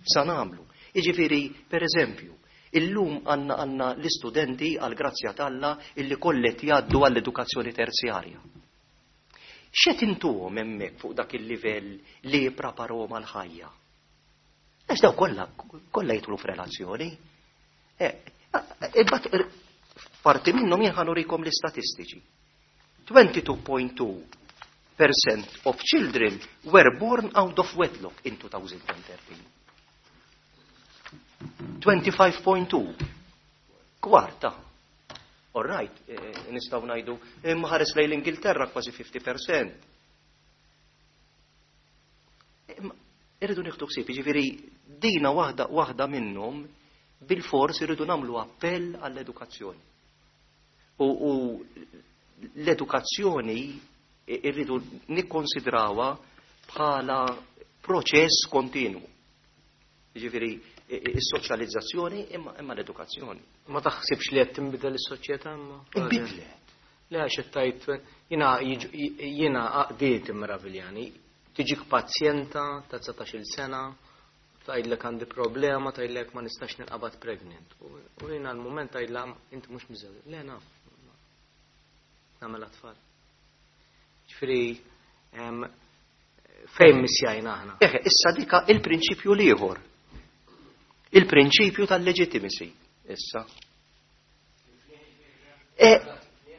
X'sa nagħmlu? Jiġifieri, per eżempju, illum għandna għandna l-istudenti għal grazzja t'Alla illi kollet jgħaddu għall-edukazzjoni terzjarja. X'qed intuhom hemmhekk fuq dak il-livell li jippreparahom għal-ħajja? Għax daw kollha kollha jidħlu f'relazzjoni. Eh, imbagħad parti minnhom jien ħa nurikom l-istatistiċi. twenty-two point two percent of children were born out of wedlock in twenty thirteen. twenty-five point two. Kwarta. All right, eh, nistgħu ngħidu, imma ħares lejn l-Ingilterra, kważi fifty percent. Imma irridu nieħdu ħsieb, jiġifieri dina waħda waħda minnhom, bil-fors irridu nagħmlu appell għall-edukazzjoni. U, u l-edukazzjoni irridu nikkonsidrawha bħala proċess kontinu. Jiġifieri is-soċjalizzazzjoni imma, imma l-edukazzjoni. Ma taħsibx li qed tinbidel is-soċjetà imma? Inbidlet. Le, għax qed tgħid jiena jiġu- jiena għaqdiet immeraviljani. Tiġik pazjenta ta' dsatax-il sena, tgħidlek għandi problema, tgħidlek ma nistax ninqabad pregnant. U u jiena l-mument tgħidla inti mhux miżewġ. Le, naf. Nagħmel tfal. Ġifieri em, fejn missjajna aħna? Eħe, issa dika il-prinċipju l-ieħor. Il-prinċipju tal-legitimacy. Issa. E,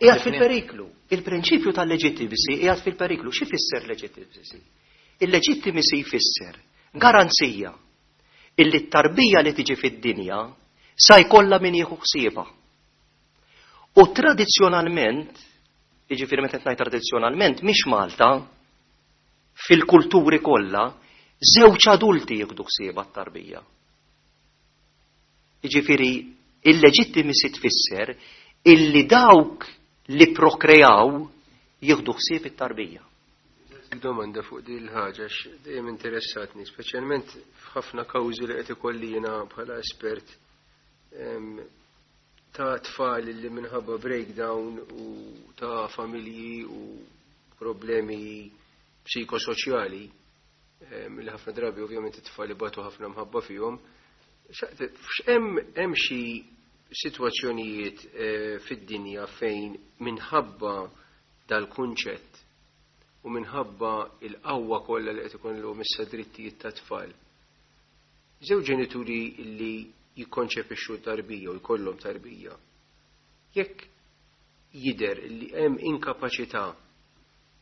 qiegħed fil-periklu. Il-prinċipju tal-legitimacy qiegħed fil-periklu. Xi fisser legitimacy? Il-legitimacy jfisser garanzija illi t-tarbija li tiġi fid-dinja sa jkollha min jieħu ħsiebha. U tradizzjonalment, jiġifieri meta ngħid tradizzjonalment, mhix Malta, fil-kulturi kollha, żewġ adulti jieħdu ħsiebha t-tarbija. Jiġifieri il-legitimacy tfisser illi dawk li prokrejaw jieħdu ħsieb it-tarbija. Domanda fuq din il-ħaġa, dejjem interessatni, speċjalment f'ħafna kawżi li qed ikolli jiena bħala espert em, ta' tfal li minħabba breakdown u ta' familji u problemi psikosoċjali em, li ħafna drabi ovvjament it-tfal ibatu ħafna mħabba fihom. Hemm hemm xi sitwazzjonijiet eh, fid-dinja fejn minħabba dal-kunċett u minħabba il-qawwa kollha li qed ikollhom issa drittijiet ta' tfal, żewġ ġenituri li jikkonċepixxu tarbija u jkollhom tarbija, jekk jidher li hemm inkapaċità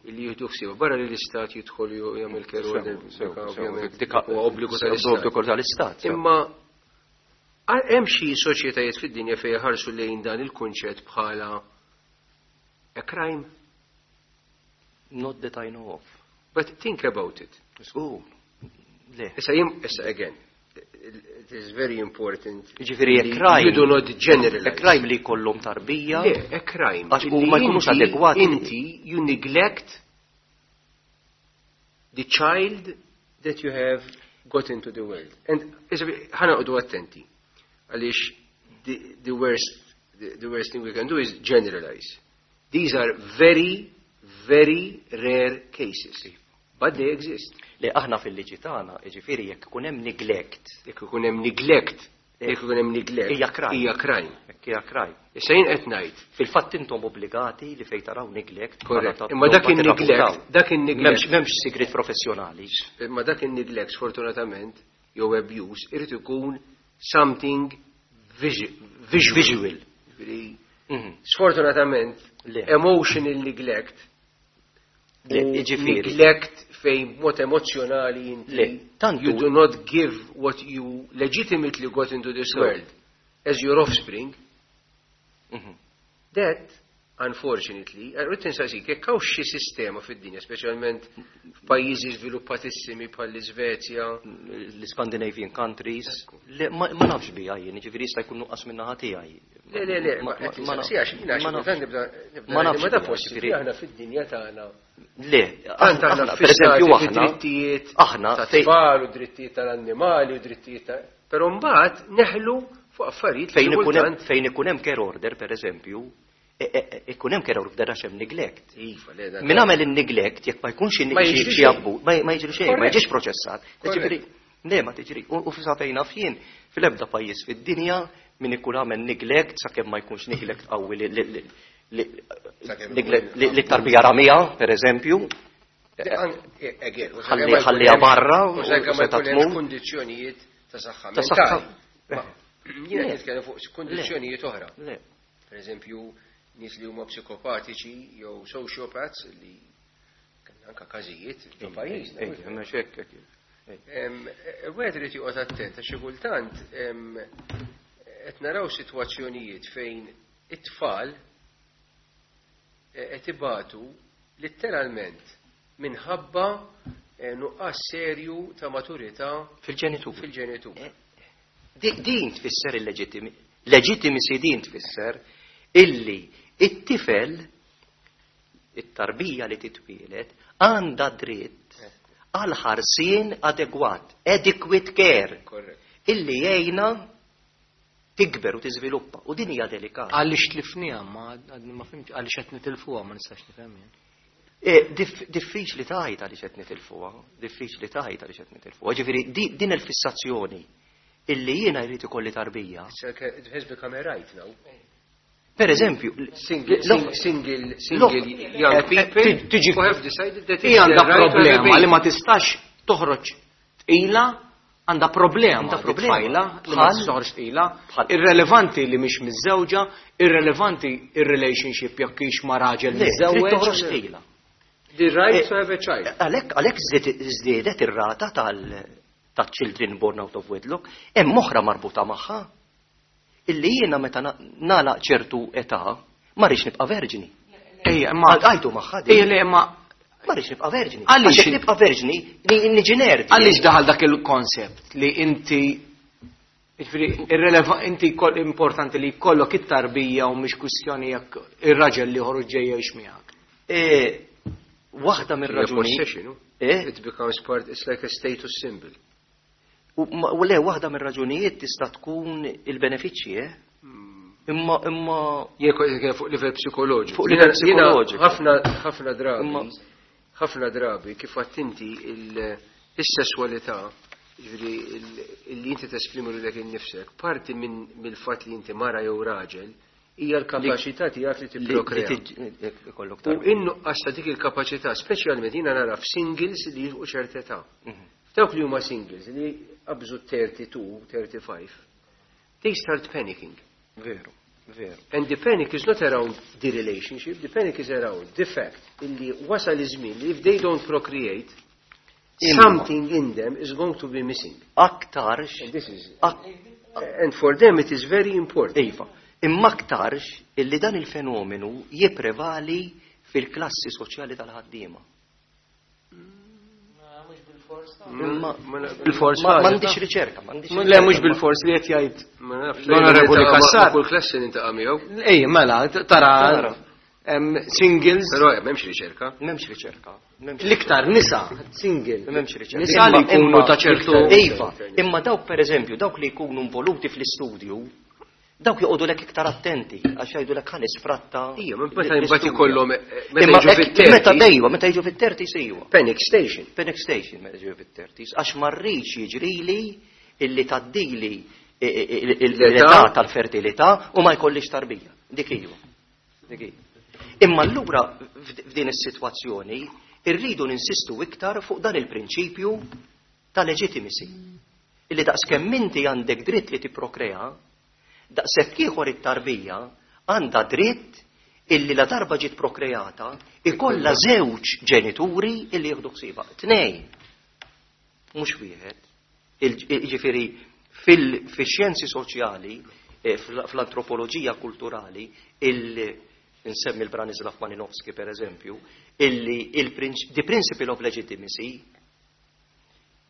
li jieħdu ħsieb, barra li l-istat jidħol u jagħmel care, ovvjament huwa obbligu tal-istat. Obbligu tal-istat. Sew. Imma hemm xi soċjetajiet fid-dinja fejn ħarsu lejn dan il-kunċett bħala a crime? Not that I know of. But think about it. Oh, le. Issa jim, issa again, it is very important Ġifieri a li crime. you do not generalize. A crime li jkollhom tarbija. Le, a crime. Għax u ma Illi jkunux inti- adegwati. Inti, you neglect the child that you have got into the world. And issa ħa noqogħdu attenti. Għaliex the, the worst the, the worst thing we can do is generalize. These are very, very rare cases. But they exist. Li aħna fil-liġi tagħna, jiġifieri jekk ikun hemm neglect, Jekk ikun hemm neglect, jekk ikun hemm neglect, Hija crime. Hija crime. Jekk hija crime. Issa jien qed ngħid, Fil-fatt intom obbligati li fejn taraw neglect. Correct. bħala ta' Imma dak tirrapportaw. in-neglect, dak in-neglect M'hemmx m'hemmx sigrit professjonali. Imma dak in-neglect sfortunatament jew abuse irid ikun something visual. Visual. Ġifieri, Mhm. sfortunatament Le. emotional neglect Le, u jiġifieri. neglect fejn mod emozjonali inti Le, tantu- you do not give what you legitimately got into this So. world as your offspring, Mhm. that Unfortunately, rrid insaqsik, jekk hawn xi sistema fid-dinja, speċjalment f'pajjiżi żviluppatissimi bħall-Iżvezja, L-Scandinavian countries, le, ma ma nafx bija jien, ġifieri jista' jkun nuqqas min-naħa tiegħi. Le, le, le, ma qed ma insaqsi għax jiena ma xi nafx. kultant nibda nibda Ma ngħid, nafx ma da bija, possibbli ġifieri- aħna fid-dinja tagħna. Le, Tant aħna aħna, per eżempju, fissati aħna, fid-drittijiet aħna, ta' fej- tfal u drittijiet tal-annimali u drittijiet ta' Però mbagħad neħlu fuq affarijiet li fejn ikun hemm kultant fejn ikun hemm care order, per eżempju, e- e- e- ikun hemm care order għax hemm neglect. Iva, le, dan- Min għamel in-neglect jekk ma jkunx Ma xi jiġri xi xejn. abbu, ma ma jiġri xejn, ma Correct. jiġix proċessat. Correct. Ġifieri, le ma tiġri. U u sa fejn naf jien fil-ebda pajjiż fid-dinja min ikun għamel neglect sakemm ma jkunx neglect qawwi li li- li- li- Sakemm neglect ikun li li tarbija ramija, per eżempju, Eh, Again, u Ħalli- sakemm ma jkun ħalliha hemmx- barra u u sakemm ma seta' jkun hemmx tmut. kundizzjonijiet ta' saħħa Ta' saħħa. mentali. Ma Jiena Le. nitkellem fuq kundizzjonijiet oħra. Le. Per eżempju, nies li huma psikopatiċi jew sociopaths li kellna anka każijiet ġo pajjiżna. Ej, mhux hekk, hekk. Em, eh, Wieħed irid joqgħod attent għax xi kultant em, qed naraw sitwazzjonijiet fejn it-tfal eh, qed ibatu letteralment minħabba eh, nuqqas serju ta' maturità Fil-ġenitur. fil-ġenitur. Di- Din tfisser il-leġittimi. Legitimacy din tfisser illi it-tifel, it-tarbija li titwielet, għandha dritt għal ħarsien adegwat, adequate care, Korrekt. illi jgħinha tikber u tiżviluppa. U din hija delikata. Għaliex tlifniha, ma għadni ma fhimtx, għaliex qed nitilfuha ma nistax nifhem jien. E, dif- Diffiċli tgħid għaliex qed nitilfuha, diffiċli tgħid għaliex qed nitilfuha. Ġifieri di- din il-fissazzjoni illi jiena jrid ikolli tarbija. It's like a- It has become a right now. Per eżempju, Single, l- sing- single, single young Eh, people eh, tiġi- who have decided that it's Hija għandha their right to have a problema baby. li ma tistax toħroġ tqila, għandha problema Għandha di problema. tfajla li ma Bħal- tistax toħroġ tqila, bħal- irrelevanti li mhix miżżewġa, irrelevanti ir-relationship jekk hix ma' raġel Le, trid toħroġ miżżewweġ. tqila. The right Eh, to have a child. Għalhekk għalhekk żdied- żdiedet ir-rata tal ta' children born out of wedlock, hemm oħra marbuta magħha. Illi jiena meta na- nagħlaq ċertu età ma rridx nibqa' verġni. Ejja, imma Għajtu magħha din. Ejja, le, imma Ma rridx nibqa' verġni. Għaliex- Għax jekk nibqa' verġni ni- niġi nerd. Għaliex daħal dak il-konsept li inti jiġifieri, irreleva- inti kol- importanti li jkollok it-tarbija u mhix kwistjoni jekk ir-raġel li ħoruġ ġejja jgħix miegħek. Eh, Waħda Hija mir-raġuni. possession, no? Eh? It becomes part, it's like a status symbol. U ma- u le, waħda mir-raġunijiet tista' tkun il-benefiċċji, eh? Imma imma Jien kont nitkellem fuq livell psikoloġiku. Fuq livell Jiena- jiena psikoloġiku. Ħafna ħafna drabi, Imma- ħafna drabi kif għadt inti il- is-sesswalità, ġifieri il- li inti tesprimi lilek innifsek, parti minn mill-fatt li inti mara jew raġel, hija l-kapaċità tiegħek li li li tipprokrea. tiġ- ikollok U tarbija. in-nuqqas ta' dik il-kapaċità, speċjalment jiena nara f'singles li jilħqu ċerta età. Mhm. Dawk li huma singles li qabżu thirty-two, thirty-five, they start panicking. Veru, veru. And the panic is not around the relationship, the panic is around the fact illi wasal iż-żmien li if they don't procreate, Imma. something in them is going to be missing. Aktarx And this is ak- and for them it is very important. Iva, imma aktarx illi dan il-fenomenu jipprevali fil-klassi soċjali tal-ħaddiema. Imma Bil-fors ma ħaġa, m'għandix ta' riċerka, m'għandix Le riċerka, mhux ma- bil-fors li qed jgħid Ma nafx L-Onorevoli nintaqa' ma- Cassar. ma' kull klassi nintaqa' miegħu, Ej, mela, t- tara Tara. em, singles però m'hemmx riċerka. M'hemmx riċerka. m'hemmx l-iktar nisa single. M'hemmx riċerka. Nisa li Imma- jkunu imma- ta' ċertu Iva, imma dawk per eżempju, dawk li jkunu involuti fl-istudju, dawk joqogħdu lek iktar attenti għax jgħidu lek ħa nisfratta. Ija, minn meta l-istudju. imbagħad ikollhom eh, meta Imma jiġu hekk- fit-thirties, Meta dejwa, meta jiġu fit-thirties iwa. panic station. Panic station meta jiġu fit-thirties, għax ma rridx jiġrili illi taddili l-età tal-fertilità u ma jkollix tarbija. Dik iva. Dik iva. Imma allura f'd- f'din is-sitwazzjoni irridu ninsistu iktar fuq dan il-prinċipju ta' legitimacy. Illi daqskemm inti għandek dritt li tipprokrea, daqshekk ieħor it-tarbija għandha dritt illi la darba ġiet prokreata ikollha żewġ ġenituri illi jieħdu ħsiebha. Tnejn. Mhux wieħed. Il- Jiġifieri fil-xjenzi soċjali, eh, fl- fl-antropoloġija kulturali, il- Insemmi l-Branislav Malinowski per eżempju, illi il-the principle of legitimacy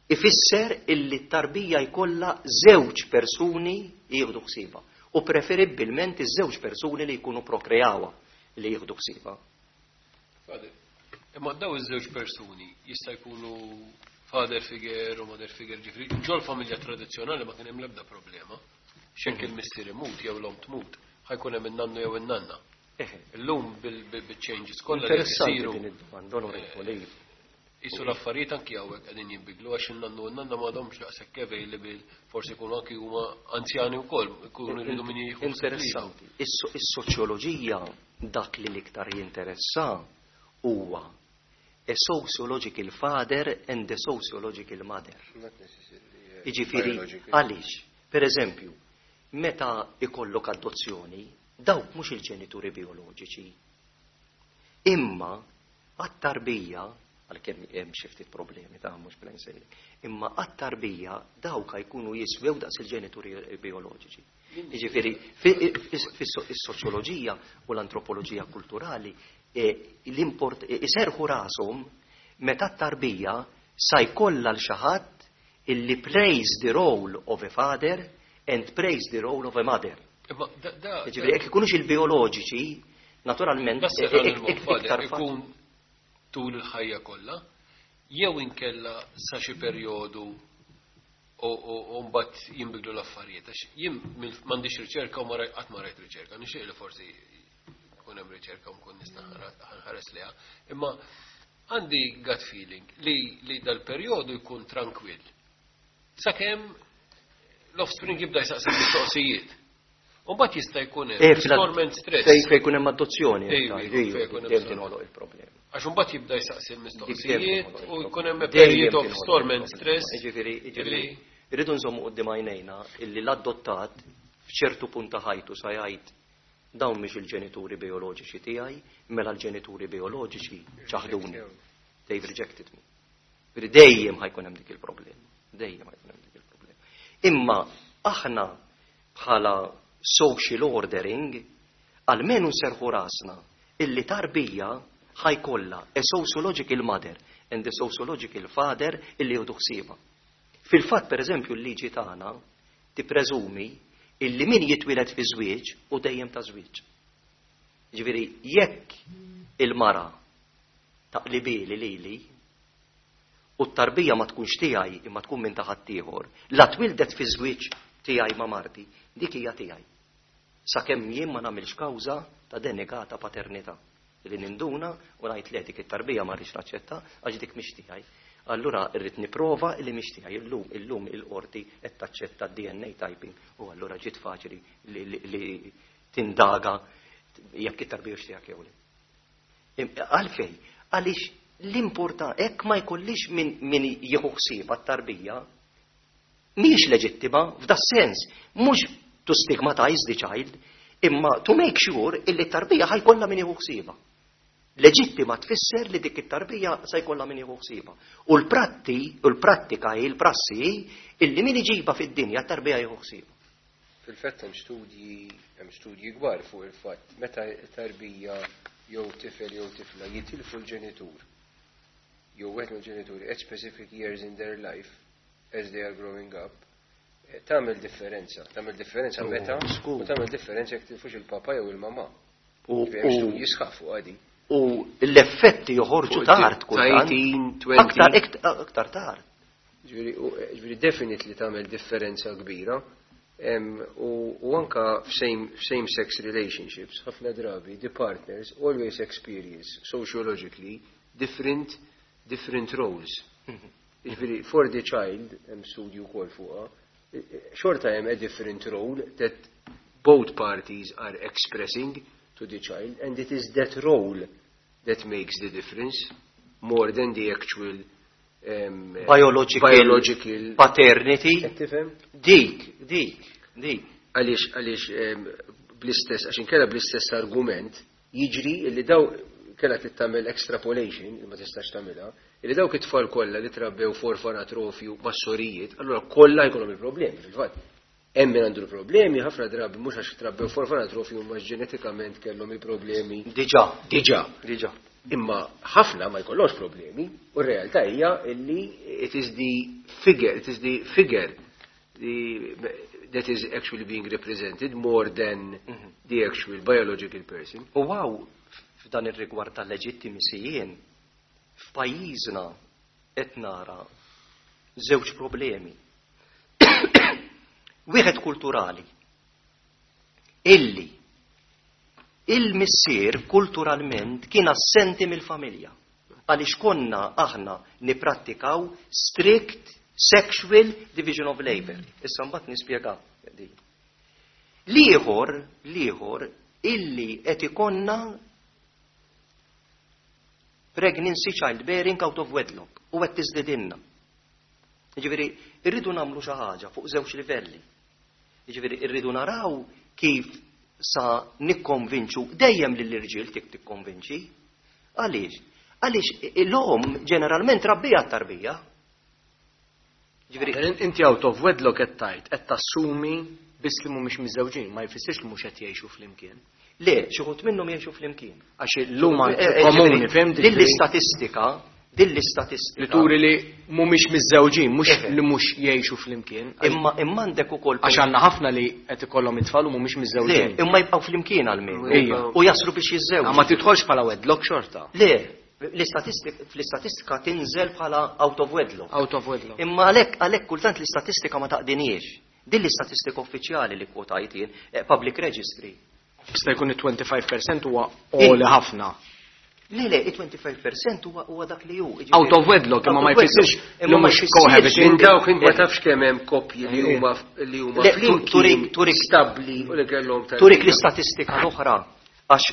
ifisser illi t-tarbija jkollha żewġ persuni jieħdu ħsiebha u preferibbilment iż-żewġ persuni li jkunu prokreawha li jieħdu ħsiebha. Father, imma daw iż-żewġ persuni jista' jkunu father figure u mother figure, ġifieri ġol familja tradizzjonali ma kien hemm l-ebda problema. X'hekk il-missier imut jew l-om tmut, ħa jkun hemm in-nannu jew in-nanna. Illum bil-changes kollha li Interessanti jsiru din id-domanda, onorevoli. Isu l-affarijiet anki hawnhekk qegħdin jinbidlu għax in-nannu u n-nanna m'għadhomx daqshekk available, forsi jkunu anki huma anzjani wkoll, ikunu jridu min jieħu ħsieb lilhom. Interessanti. Is- Is-soċjoloġija dak li l-iktar jinteressa huwa a sociological father and a sociological mother. Not necessarily. uh, Jiġifieri, biological. għaliex, per eżempju, meta ikollok adozzjoni, dawk mhux il-ġenituri bioloġiċi. Imma għat-tarbija, għalkemm hemm xi ftit problemi ta' mhux bla nsejli, imma għat-tarbija dawk jkunu jiswew daqs il-ġenituri bioloġiċi. Jiġifieri, fis-soċjoloġija u l-antropoloġija kulturali e, l-import e, iserħu rashom meta t-tarbija sa jkollha l xi ħadd illi plays the role of a father and plays the role of a mother. Imma da da Jiġifieri, jekk ikunux il-bioloġiċi, naturalment, Da e- serħan e- il-moħħ, iktar father, faċli. ikun tul il-ħajja kollha, jew inkella sa xi perjodu u u mbagħad jinbidlu l-affarijiet. Għax jien mill- m'għandix riċerka u ma rajt qatt ma rajt riċerka, nixtieq li forsi jkun hemm riċerka u nkun nista' nħares liha. Imma għandi gut feeling li li dal-perjodu jkun trankwill. Sakemm l-offspring jibda jsaqsi mistoqsijiet. U mbagħad jista' jkun Eh, hemm fil- storm and stress. Fej fej jkun hemm adozzjoni, Ejju, iktar, ejju, fej jkun hemm dejjem bżonn. tinħoloq il-problema. Għax imbagħad jibda jsaqsi l-mistoqsijiet u jkun hemm a Dejjem period of tinħoloq storm and il-problema. stress. Jiġifieri, jiġifieri, illi- irridu nżommu quddiem għajnejna illi l-adottat f'ċertu punt ta' ħajtu sa jgħid dawn mhix il-ġenituri bioloġiċi tiegħi, mela l-ġenituri bioloġiċi ċaħduni. They've rejected me. Ġifieri dejjem ħa jkun hemm dik il-problema. Dejjem ħa jkun hemm dik il-problema. Imma aħna bħala social ordering almenu nserħu rasna illi tarbija ħa jkollha a sociological mother and a sociological father illi jieħdu ħsiebha. Fil-fatt, per eżempju, l-liġi tagħna tippreżumi illi min jitwieled fi żwieġ u dejjem ta' żwieġ. Ġifieri, jekk il-mara taqlibili lili u t-tarbija ma tkunx tiegħi imma tkun minn ta' ħaddieħor, la twildet fi żwieġ tiegħi ma' marti, dik hija tiegħi. Sakemm jien ma nagħmilx kawża ta' denegata paternità. Li ninduna u ngħid le, dik it-tarbija ma rridx naċċetta għax dik mhix tiegħi. Allura rrid nipprova li mhix tiegħi. Illum illum il-qorti qed taċċetta D N A typing u allura ġiet faċli li, li, li tindaga jekk it-tarbija hux tiegħek jew le. Im- Għalfej, għaliex l-importa hekk ma jkollix min, min jieħu ħsieb għat-tarbija mhijiex leġittima f'da sens, mhux to stigmatize the child, imma to make sure illi t-tarbija ħa jkollha min jieħu ħsiebha. Leġittima tfisser li dik it-tarbija se jkollha min jieħu ħsiebha. U l-pratti, u l-prattika hi l-prassi hi illi min iġibha fid-dinja t-tarbija jieħu ħsiebha. Fil-fatt hemm studji hemm studji kbar fuq il-fatt meta tarbija jew tifel jew tifla jitilfu l-ġenitur jew wieħed mill-ġenituri at specific years in their life as they are growing up, eh, tagħmel differenza, tagħmel differenza Oh, meta skur. u tagħmel differenza jekk tilfux il-papa jew il-mama. U, Ġifieri hemm u, studji sħaħ fuq għadi. U l-effetti joħorġu Fuq tard kultant. eighteen, twenty. Aktar, ikt- aktar tard. Ġifieri u- ġifieri definitely tagħmel differenza kbira. Em, U u anka f'same same sex relationships, ħafna drabi, the partners always experience sociologically different different roles. Ġifieri for the child, hemm studju wkoll fuqha, eh, eh, xorta hemm a different role that both parties are expressing to the child, and it is that role that makes the difference more than the actual um, Biological, biological paternity. Qed tifhem? Dik, dik, dik. Għaliex għaliex em, bl-istess, għax inkella bl-istess argument jiġri illi daw kella tagħmel extrapolation, li ma tistax tagħmilha, illi dawk it-tfal kollha li trabbew f'orfanatrofju mas-sorijiet, allura kollha jkollhom il-problemi fil-fatt. Hemm min għandu l-problemi, ħafna drabi mhux għax trabbew f'orfanatrofi huma ġenetikament kellhom il-problemi. Diġà. Diġà. Diġà. Imma ħafna ma jkollhomx problemi u r-realtà hija illi it is the figure, it is the figure the, that is actually being represented more than Mhm. the actual biological person. U hawn f'dan ir-rigward tal-legitimacy jien f'pajjiżna qed nara żewġ problemi. Wieħed kulturali. Illi il-missier kulturalment kien assenti mill-familja. Għaliex konna aħna niprattikaw strict sexual division of labor. Issa mbagħad nispjega din. L-ieħor, l-ieħor illi qed ikollna pregnancy childbearing out of wedlock u qed tiżdidilna. Jiġifieri irridu nagħmlu xi ħaġa fuq żewġ livelli. Jiġifieri irridu naraw kif sa nikkonvinċu dejjem lill-irġiel tik tikkonvinċi. Għaliex? Għaliex l-omm ġeneralment rabbija t-tarbija. Jiġifieri Inti out of wedlock qed tgħid qed tassumi biss li mhumiex miżżewġin, ma jfissirx li mhux qed jgħixu flimkien. Le, xi wħud minnhom jgħixu flimkien. Għax illum Eh, eh, komuni, ġifieri, fhimt? Din l-istatistika, din l-istatistika. Li turi li mhumiex miżżewġin, mhux Eħe. li mhux jgħixu flimkien. Imma imma għandek ukoll Għax għandna ħafna li qed ikollhom it-tfal u mhumiex Le, miżżewġin. imma jibqgħu flimkien għalmenu. Ejja. U jaslu biex jiżżewġu. Ma tidħolx bħala wedlock xorta. Le, l-istatistika fl-istatistika tinżel bħala out of wedlock. Out of wedlock. Imma għalhekk għalhekk kultant l-istatistika ma taqdiniex. Din l-istatistika uffiċjali li kwotajt jien, eh, public registry. Jista' jkun it-twenty-five percent huwa għoli ħafna. Le, le, il-twenty-five percent huwa huwa dak li hu. Jiġifieri- Out of wedlock, imma ma Out of wedlock. jfissirx li Imma ma mhux jfissirx cohabiting. Minn dawk int ma tafx kemm hemm koppji li huma li huma Le, flimkien turik- turik- stabbli u li kellhom tarbija. Turik l-istatistika l-oħra, għax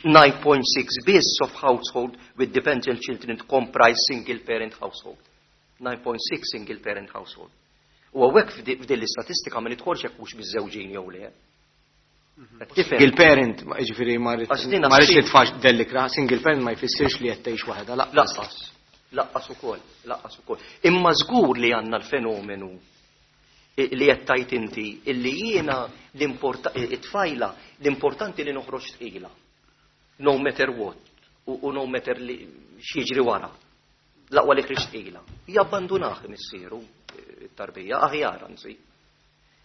nine point six biss of household with dependent children comprise single parent household. nine point six single parent household. U hawnhekk f'di- f'din l-istatistika ma nidħolx jekk mhux miżżewġin jew le. Qed tifhem? Single parent, ma- ġifieri ma rrid Għax din ma rridx assi- nitfax dellikra, single parent ma jfissirx li qed tgħix waħedha lanqas. Lanqas, lanqas ukoll, lanqas ukoll. Imma żgur li għandna l-fenomenu i- li qed tgħid inti illi jiena l-importa- it-tfajla l-importanti li noħroġ tqila. No matter what u, u no matter li x'jiġri wara. L-aqwa li ħriġt tqila. Jabbandunah missieru eh, it-tarbija aħjar anzi.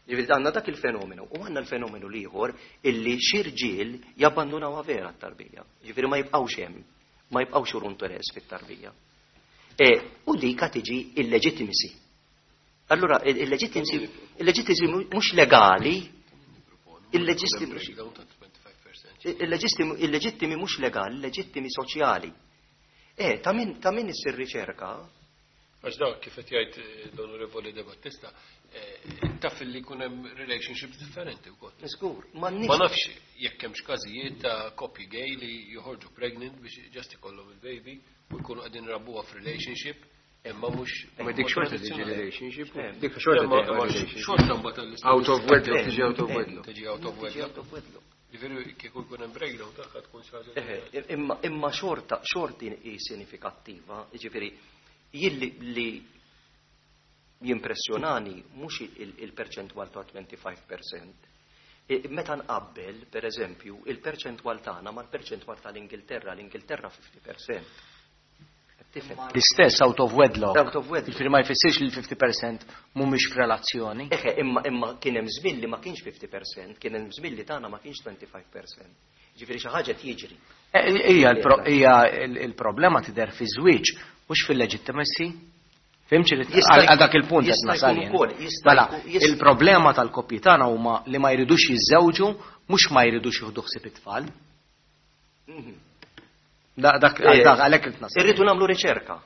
Ġifieri għandna dak il-fenomenu u għandna l-fenomenu l-ieħor illi xi rġiel jabbandunawha vera t-tarbija. Ġifieri ma jibqgħux hemm, ma jibqgħux juru interess fit-tarbija. E, u dika tiġi illegitimacy. Allura, il-legitimacy il-legitimacy mhux legali, il-legitimacy Breakdown ta' twenty-five percent. il-leġittimi il-leġittimi mhux legali, il-leġittimi soċjali. E, ta' min ta' min issir riċerka, Għax dak kif qed jgħid eh, l-Onorevoli De Battista, eh, taf li jkun hemm relationships differenti wkoll. Żgur, Ma m'għandniex nafx jekk hemmx każijiet ta' koppji gay li joħorġu pregnant biex just ikollhom il-baby u jkunu qegħdin rabbuha f'relationship imma mhux Ma dik xorta tiġi relationship. Eh. Dik xorta Imma- tiġi imma relationship. xorta mbagħad tal-istatistika Out of wedlock, Eh, tiġi out of eh, wedlock. Tiġi out of Tiġi wedlock. out of wedlock. Ġifieri kieku jkun hemm breakdown tagħha tkun xi ħaġa. Eħe, imma imma xorta xorti hi sinifikattiva, ġifieri jilli li jimpressjonani mhux il- il-perċentwal ta' twenty-five percent. E, meta nqabbel, per eżempju, il-perċentwal tagħna mal-perċentwal tal-Ingilterra, l-Ingilterra fifty percent. Tifhem? L-istess out of wedlock. Out of wedlock. Ġifieri ma jfissirx li l-fifty percent mhumiex f'relazzjoni. Eħe, imma imma kien hemm żmien li ma kienx fifty percent, kien hemm żmien li tagħna ma kienx twenty-five percent. Ġifieri xi ħaġa jiġri. Eh, Hija l-pro- hija l- il-problema tidher fi żwieġ, mhux fil-legitimacy. Fhimtx li Jista' għal dak il-punt qed jista' nasal jkun jien. ukoll, jista' Mela, jkun- jista' il-problema tal-koppji tagħna huma li ma jridux jiżżewġu, mhux ma jridux jieħdu ħsieb it-tfal. Mhm. Da- Dak Eh, dak għalhekk qed nasal. Irridu nagħmlu riċerka.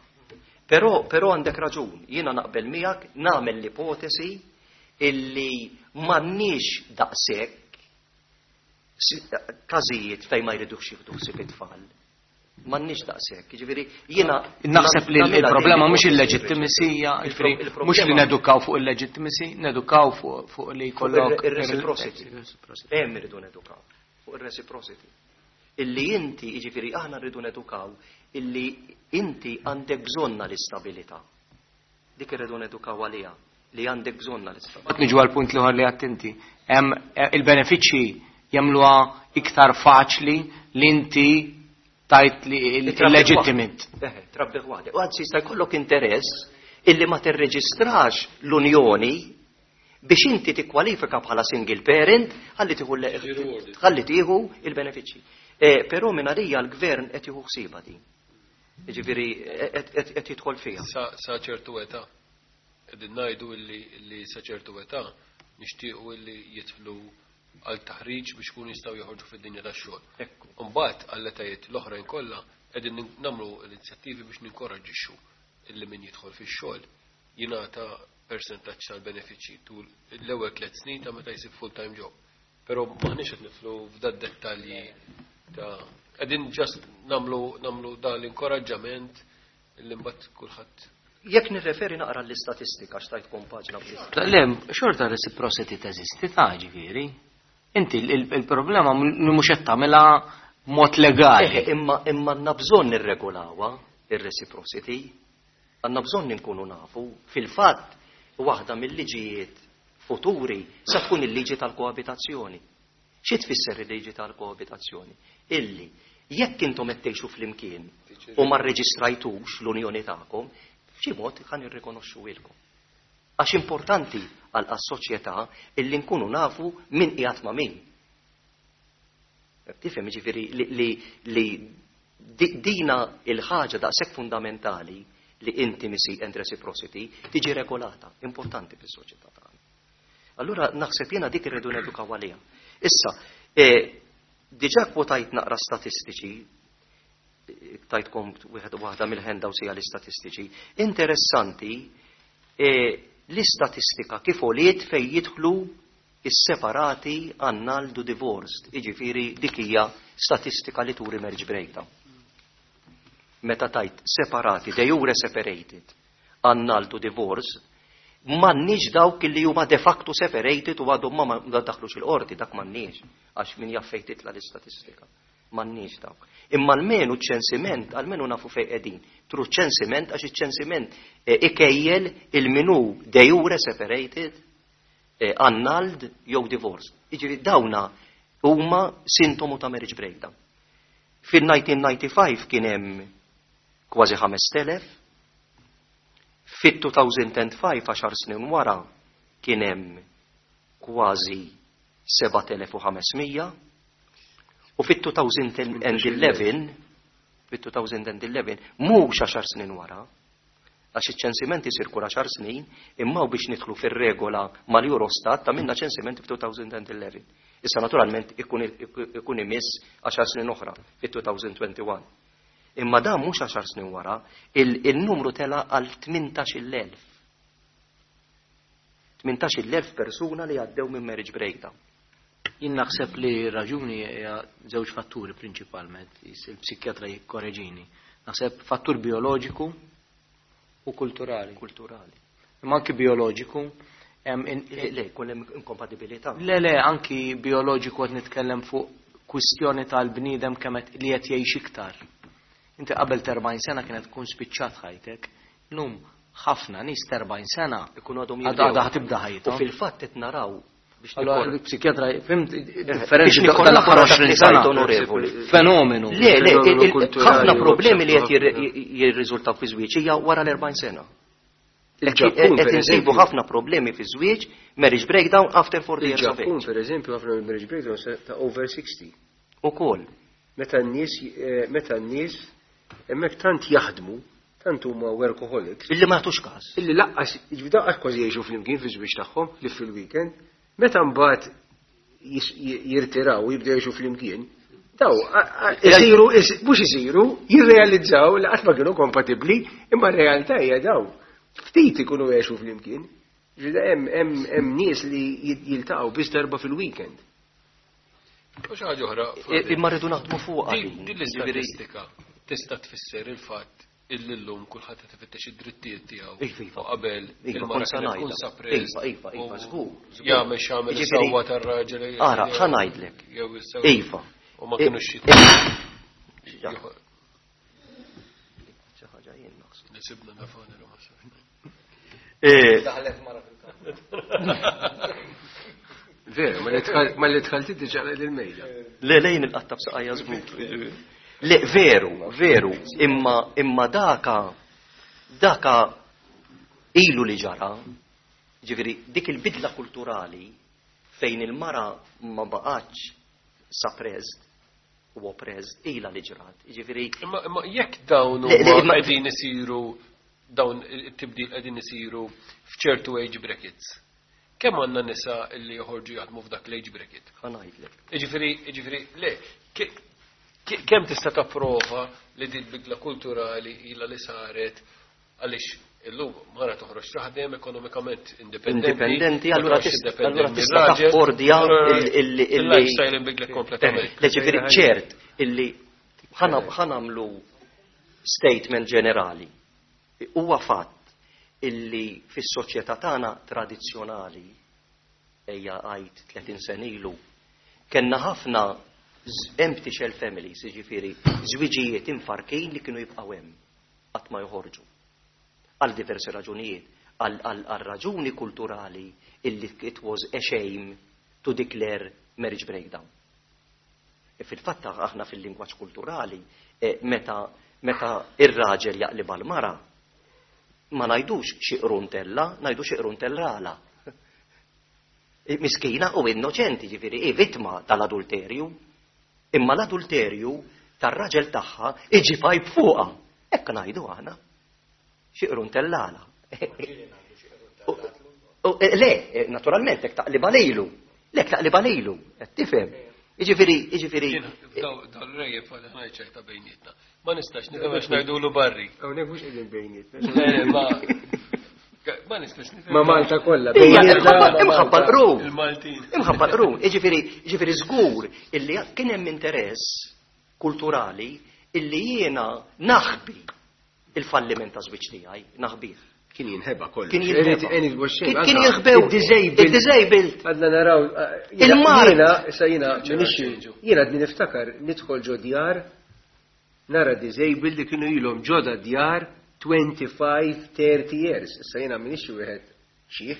Però però għandek raġun, jiena naqbel miegħek, nagħmel l-ipotesi illi m'għandniex daqshekk si- każijiet fejn ma jridux jieħdu ħsieb it-tfal. M'għandniex daqshekk, jiġifieri jiena Naħseb li nagħmilha il-problema din mhux l-ipotesi. il-legitimacy, hija, Il-pro- ġifieri, il-problema- mhux li nedukaw fuq il-legitimacy, nedukaw fuq fuq li jkollok ir-reciprocity. Ir-reciprocity. Hemm irridu nedukaw fuq ir-reciprocity. Illi inti, jiġifieri aħna rridu nedukaw illi inti għandek bżonna l-istabilità. Dik irridu nedukaw għaliha. li għandek bżonna l-istat. Niġu għal punt l-ieħor li għattinti. Il-benefiċċji jagħmluha iktar faċli li inti tajt li leġittimit. Trabbiħ waħdek. U għadsi jista' jkollok interess illi ma tirreġistrax l-unjoni biex inti tikkwalifika bħala single parent ħalli tieħu ħalli tieħu il-benefiċċji. Però minn għalija l-gvern qed jieħu ħsiebha din. Jiġifieri qed jidħol fiha. Sa ċertu età. Qegħdin ngħidu li sa ċertu età nixtiequ li jidħlu għal taħriġ biex kunu jistgħu joħorġu fid-dinja tax-xogħol. Imbagħad għall-etajiet l-oħrajn kollha qegħdin nagħmlu l-inizjattivi biex ninkoraġġixxu illi min jidħol fix-xogħol jingħata persentaġġ tal-benefiċċji tul l-ewwel tliet snin ta' meta jsib full-time job. Però m'aħniex qed nidħlu f'da dettalji ta' qegħdin ġast nagħmlu nagħmlu dan l-inkoraġġament illi mbagħad kulħadd. Jekk nirreferi naqra l-istatistika x'tajtkom paġna bl Le, xorta reciprocity teżisti ta' ġifieri. Inti il-problema mhux qed tagħmilha mod legali. Imma imma għandna bżonn nirregolawha ir-reciprocity. Għandna bżonn inkunu nafu. Fil-fatt waħda mill-liġijiet futuri sa tkun il-liġi tal-koabitazzjoni. Xi tfisser il-liġi tal-koabitazzjoni? Illi jekk intom qed tgħixu flimkien u ma rreġistrajtux l-unjoni tagħkom, f'xi mod ħan irrikonoxxu ilkom. Għax importanti għal soċjetà illi nkunu nafu min qiegħed ma' min. Tifhem ġifieri li, li dina il-ħaġa daqshekk fundamentali li intimacy and reciprocity tiġi regolata, importanti fis-soċjetà tagħna. Allura naħseb jiena dik irridu nedukaw għaliha. Issa, eh, diġà kwotajt naqra statistiċi, tajtkom wieħed waħda mill-handouts hija l-istatistiċi. Interessanti eh, l-istatistika kif għoliet fej jidħlu is-separati annulled u divorced, jiġifieri dik hija statistika li turi marriage breakdown. Meta tajt separati, de jure separated, annulled u divorced, m'għandniex dawk li huma de facto separated u għadhom ma daħlux il-qorti, dak m'għandniex, għax min jaf fejn titla l-istatistika. M'għandniex dawk. Imma almenu ċensiment, almenu nafu fejn qegħdin. Through ċensiment, għax iċ-ċensiment ikejjel il-minu de jure separated, annulled jew divorced. Jiġifieri dawna huma sintomu ta' marriage breakdown. Fil-elf disa' mija u disgħa u disgħin kien hemm kważi ħamest elef, fit-elfejn u ħamsa, għaxar snin wara, kien hemm kważi sebat elef u ħames mija, u fit-elfejn u għaxra, fit-elfejn u għaxra, mhux għaxar snin wara, għax iċ-ċensiment isir kull għaxar snin, imma u biex nidħlu fir-regola mal-Eurostat ta' minna ċensiment fil-elfejn u għaxra. Issa naturalment ikun, ikun imiss għaxar snin oħra fit-elfejn u wieħed u għoxrin. Imma dan mhux għaxar snin wara, il-numru tela għal tmintax-il elf. Tmintax-il elf persuna li għaddew minn marriage breakdown. Jien naħseb li raġuni hija żewġ fatturi prinċipalment, il-psikjatra jikkoreġini. Naħseb fattur bioloġiku u kulturali. Kulturali. Imma anki bioloġiku. Le, le, kun hemm inkompatibilità. Le, le, anki bioloġiku qed nitkellem fuq kwistjoni tal-bniedem kemm li qed jgħix iktar. Inti qabel erbgħin sena kienet tkun spiċċat ħajtek. Illum ħafna nies erbgħin sena ikunu għadhom għadha ħatibda ħajthom. U fil-fatt qed naraw biex Allora, il-psikjatra, fimt, differenzi tal-aħħar għoxrin sena. Onorevoli. Fenomenu. Le, le, ħafna problemi li qed jirriżultaw fi żwieġ hija wara l-erbgħin sena. Qed insibu ħafna problemi fi żwieġ, marriage breakdown after forty years of age. Il-Ġappun, per eżempju, ħafna marriage breakdown ta' over sixty. Ukoll. Meta n-nies, meta n-nies hemmhekk tant jaħdmu, tant huma workaholics. Illi ma jagħtux każ. Illi laqqas, jiġifieri daqqas kważi jgħixu flimkien fi żwieġ tagħhom, li fil-weekend. Meta mbagħad jirtiraw u jibdew jgħixu flimkien, daw, isiru, mhux isiru, jirrealizzaw li qatt ma kienu kompatibbli, imma r-realtà hija daw. Ftit ikunu jgħixu flimkien. Ġifieri hemm nies li jiltaqgħu biss darba fil-weekend. U xi ħaġa oħra. Imma rridu naħdmu fuqha. Din l-istatistika tista' tfisser il-fatt illi llum kulħadd qed ifittex id-drittijiet tiegħu. Iva, U qabel Iva, il-mara kont sa kienet tkun ngħidha. suppressed Iva, iva, iva, u żgur, żgur. Jagħmel x'jagħmel Jiġifieri, is-sewwa tar-raġel. Ara, ħa ngħidlek. Jew is-sewwa. Iva. U ma kinux xi. Ja. Xi ħaġa jien naħseb. Nisibna nafani ma safx. Eh, Daħlet mara fil-kamra. Veru, ma li tħalti diġa l-mejda. Le lejn il-qatta b'saqajja żgur. Le, veru, veru, imma imma daka daka ilu li ġara, ġifieri dik il-bidla kulturali fejn il-mara ma baqgħetx suppressed u oppressed ila li ġrat. Ġifieri Imma imma jekk dawn Le, le, huma imma- qegħdin isiru dawn it-tibdil qegħdin isiru f'ċertu age brackets. Kemm għandna nisa li joħorġu jaħdmu f'dak l-age bracket? Ħa ngħidlek. Jiġifieri, jiġifieri, le, ke- ke- kemm tista' tapprova li din bidla kulturali ila li saret għaliex illum mara toħroġ taħdem ekonomikament indipendenti. Indipendenti, ma allura toqgħodx tista' indipendenti allura tista' mir-raġel, taffordja allura il- il- il- il-lifestyle inbidlet kompletament. Le ġifieri ċert illi ħa nagħmlu statement ġenerali. Huwa fatt illi fis-soċjetà tagħna tradizzjonali ejja għajt tletin sena ilu kellna ħafna z- empty shell families, jiġifieri żwiġijiet imfarkin li kienu jibqgħu hemm qatt ma joħorġu. Għal diversi raġunijiet, għal għal- għal raġuni kulturali illi it was a shame to declare marriage breakdown. E fil-fatt aħna fil-lingwaġġ kulturali eh, meta meta ir-raġel jaqlib għal-mara ma ngħidux xi qruntella, ngħidu xi qruntellala. E, Miskina u innoċenti, ġifieri, i vittma tal-adulterju. Imma l-adulterju tar-raġel tagħha iġi fajb fuqha. Hekk ngħidu aħna. Xi qruntellala. U- u- e, Le, e, naturalment, hekk taqliba lejlu. Le, taqliba lejlu, qed tifhem. Jiġifieri, jiġifieri. Daw l-rejjeb għal ħna ċerta bejnietna. Ma nistax nifhem għax ngħidulu barri. Hawnhekk mhux qegħdin bejnietna. Le, ma ma nistax nifhem. Ma Malta kollha. Ija, bejnietna imħabba ma' imħabba Malta. l-qrun. Il-Maltin. Imħabba l-qrun. Jiġifieri, jiġifieri żgur illi kien hemm interess kulturali illi jiena naħbi il-falliment ta' żwieġ tiegħi, naħbih. Kien jinħeba kollox. Kien jinħeba. Kien Kien- Kien jinħbew. Il-disabled. Il-disabled. Għadna naraw, jiena- Il-mard. Jiena, issa jiena, minix, ċeġu. jiena għadni niftakar, nidħol ġo djar, nara disabled li kienu ilhom ġo djar twenty-five, thirty years. Issa jiena minix wieħed xiħ.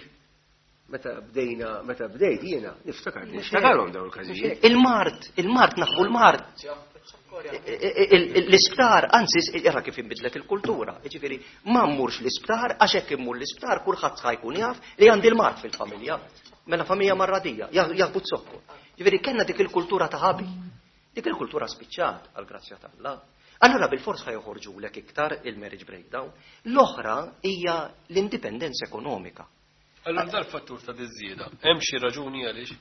Meta bdejna, meta bdejt jiena, niftakar, niftakarhom dawn il-każijiet. Il-mard, il-mard, naħbu l-mard. L-isptar, anzi, ira kif inbidlet il-kultura. Ġifieri, ma mmurx l-isptar, għax hekk immur l-isptar, kulħadd ħa jkun jaf li għandi l-mard fil-familja. Mela familja marradija, jaħbu z-zokkor. Ġifieri, kellna dik il-kultura ta' ħabi. Dik il-kultura spiċċat, għal-grazzja t'Alla. Allora bil-fors ħa joħorġulek iktar il-marriage breakdown. L-oħra hija l-indipendenza ekonomika. Allora dal-fattur ta' diżieda, hemm xi raġuni għaliex?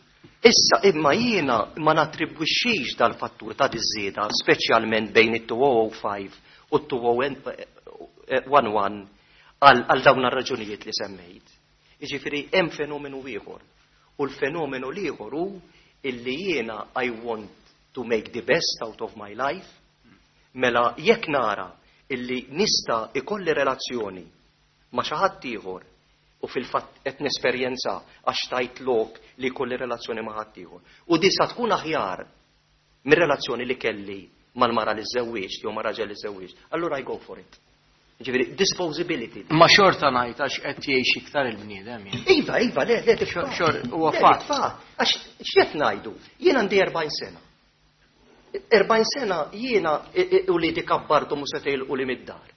Issa imma jiena ma nattribwixxix dal-fattur ta' diżieda, speċjalment bejn it-two oh five u t-two oh one one għal għal dawn ar-raġunijiet li semmejt. Jiġifieri hemm fenomenu ieħor. U l-fenomenu l-ieħor hu illi jiena I want to make the best out of my life. Mela jekk nara illi nista' ikolli relazzjoni ma' xi ħadd ieħor u fil-fatt qed nesperjenza għax tajt lok li jkolli relazzjoni ma' ħadd ieħor. U di sa tkun aħjar mir-relazzjoni li kelli mal-mara li żewwieġ jew ma' raġel li żewwieġ. Allura I go for it. Ġifieri disposability. Ma xorta ngħid għax qed jgħix iktar il-bniedem jien. Iva, iva, le, le, dik Xor- fatt. xor- huwa Le, fatt. dik fatt. Għax x'qed ngħidu? Jien għandi erbgħin sena. erbgħin sena jiena u li kabbartu mu se u li mid-dar.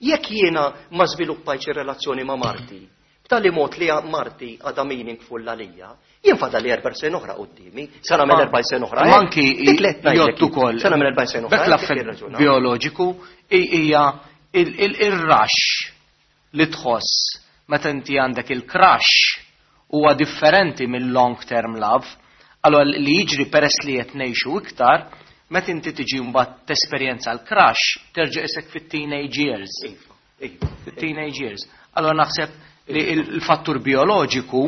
Jekk jiena ma żviluppajtx ir-relazzjoni ma' marti, b'tali mod li marti għadha meaningful għalija, jien fadal li erba' sena oħra quddiemi, sa nagħmel erba' sena oħra. Ma anki Dik li qed ngħidlek jgħod ukoll. Sa nagħmel erba' sena oħra. Bek dik l-affett ir-raġuna. bioloġiku i- hija il- il- il-rush li tħoss meta inti għandek il-crush huwa differenti mill-long term love. Allora li jiġri peress li qed ngħixu iktar, meta inti tiġi mbagħad tesperjenza l-crush, terġa' isek fit-teenage years. Iva, iva. Fit-teenage years. Allora naħseb li il-fattur bioloġiku,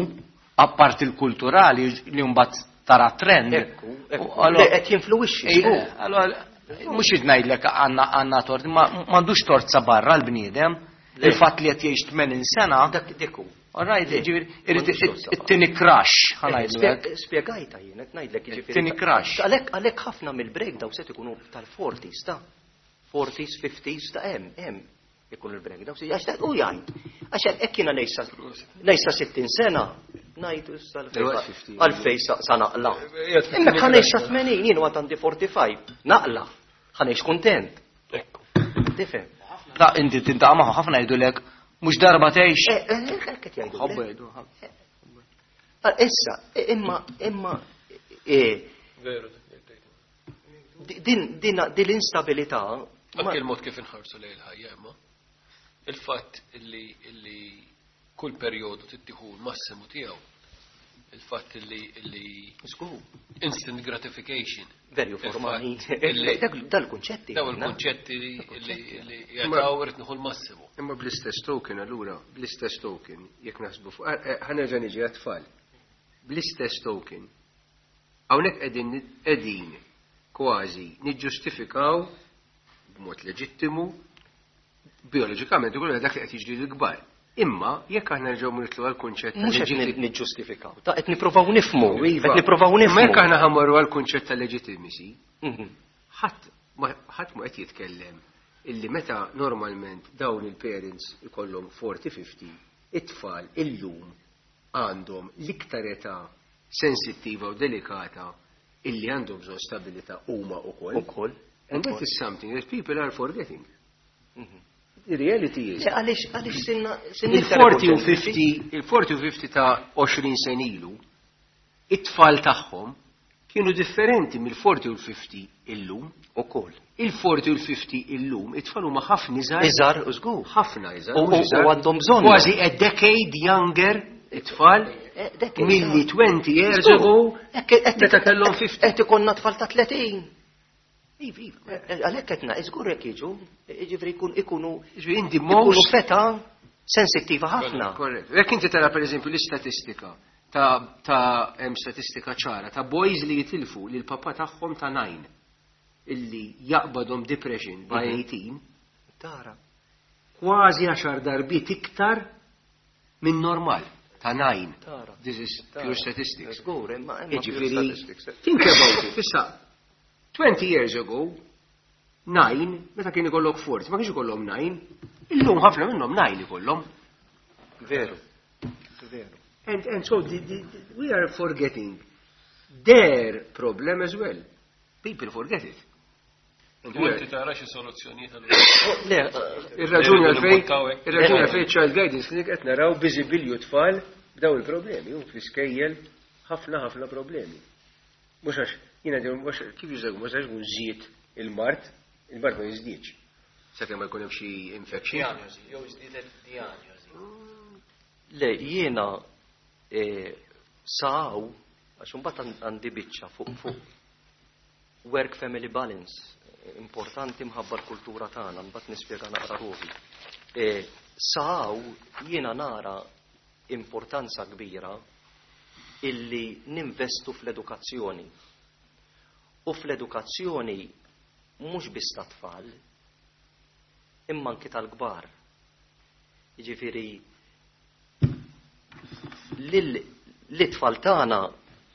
apart il-kulturali li mbagħad tara trend. Ekku, ekku. u allora- Le, qed jinfluwixxi, Ej, żgur. Allora, mhux qed ngħidlek għandna għandna tort, ma m'għandux tort sa barra l-bniedem. Le. Il-fatt li qed jgħix tmenin sena, Dak dik hu. all right, Le, ġifieri irid m'għandux tort sa barra. it-tieni crush, ħa ngħidlu hekk. Spje- Spjegajta jien, qed ngħidlek jiġifieri. Tieni crush. Għalhekk għalhekk ħafna mill-breakdown se ikunu tal-forties ta' forties, fifties ta' hemm, hemm. Ikun il-breakdown, għax dak u jgħid. Għax hekk jiena ngħix sa sittin sena, ngħid issa għalfejn sa naqla. Imma ħa ngħix sa tmenin, jien għad għandi forty-five, naqla, ħa ngħix kuntent. Ekku. Tifhem? Da inti tintaqa' magħhom ħafna jgħidulek mhux darba tgħix. Eh, eh, hekk qed jgħidu. Ħobbu jgħidu. Issa, imma imma Veru. Din din din l-instabilità. Anke il-mod kif inħarsu lejn il-ħajja imma. Il-fatt illi illi kull perjodu tittieħu l-massimu tiegħu. Il-fatt illi illi Żgur. Instant gratification. Very formali. Dal-kunċetti. Daw il-kunċetti li jagħtaw irid nieħu l-massimu. Imma bl-istess token allura, bl-istess token, jekk naħsbu fuq, ħa nerġa' niġi għat-tfal. Bl-istess token, hawnhekk qegħdin qegħdin kważi niġġustifikaw b'mod leġittimu bioloġikament ukoll dak li qed jiġri l-kbar. Imma jekk aħna nerġgħu nitlu għall-kunċett ta' Mhux qed leġitti- niġġustifikaw, ta' qed nippruvaw nifhmu, Iva. qed nippruvaw Imma nifhmu. jekk aħna ħammorru għall-kunċett ta' legitimacy, Mhm. ħadd ma ħadd ma qed jitkellem illi meta normalment dawn il-parents ikollhom forty fifty, it-tfal illum għandhom l-iktar età sensittiva u delikata illi għandhom bżonn stabilità huma wkoll. Ukoll. And that is something that people are forgetting. Mhm. The reality is Le, għaliex, għaliex sinna, sinna il-forty u fifty, il-forty u fifty ta' għoxrin sen ilu, it-tfal tagħhom kienu differenti mill-forty u fifty illum. Ukoll. Il-forty u fifty illum, it-tfal huma ħafna iżgħar. Iżgħar, u żgur. Ħafna iżgħar, U- mhux u- iżgħar. U għandhom bżonn. Kważi a decade younger it-tfal Eh, decade, milli iżgħar. twenty years Żgur. ago Hekk, hekk, meta kellhom fifty. Qed ikollna tfal ta' tletin. Iva, iva. Eh, għalhekk qed ngħid, żgur jekk jiġu, jiġifieri jkun ikunu Jiġifieri inti ikunu most feta sensittiva ħafna. Korrett. Jekk inti tara pereżempju l-istatistika ta', ta' hemm statistika ċara ta' boys li jitilfu lil papà tagħhom ta' nine illi jaqbadhom depression by Mhm. eighteen, Tara. kważi għaxar darbiet iktar minn normal ta' nine. Tara. This is Tara. pure statistics. Żgur, imma imma pure Jiġifieri, statistics. think about it. Issa, twenty years ago, nine, meta kien ikollok forty, ma kienx ikollhom nine, illum ħafna minnhom nine ikollhom. Veru. Veru. And, and so the, the, the, we are forgetting their problem as well. People forget it. And U we inti are- tara xi soluzzjonijiet allura? Le, Ir-raġuni Irridu għalfejn, nimbuttaw hekk. ir-raġuni għalfejn Child Guidance Clinic qed naraw biżibilju tfal b'daw il-problemi, u fl-iskejjel ħafna ħafna problemi. Mhux għax jiena dejjem mhux kif jużaw, mhux għax ikun żied il-mard, il-mard ma jiżdiedx. Sakemm ma jkun hemm xi infection. Diagnosi, jew żdiedet diagnosi. Le, jiena, eh, saw, għax imbagħad għand-, għandi biċċa fuq, fuq work family balance, importanti mħabba l-kultura tagħna, mbagħad nispjega naqra ruħi. Eh, saw jiena nara importanza kbira illi ninvestu fl-edukazzjoni. U fl-edukazzjoni mhux biss tat-tfal, imma anki tal-kbar. Jiġifieri lil l-itfal tagħna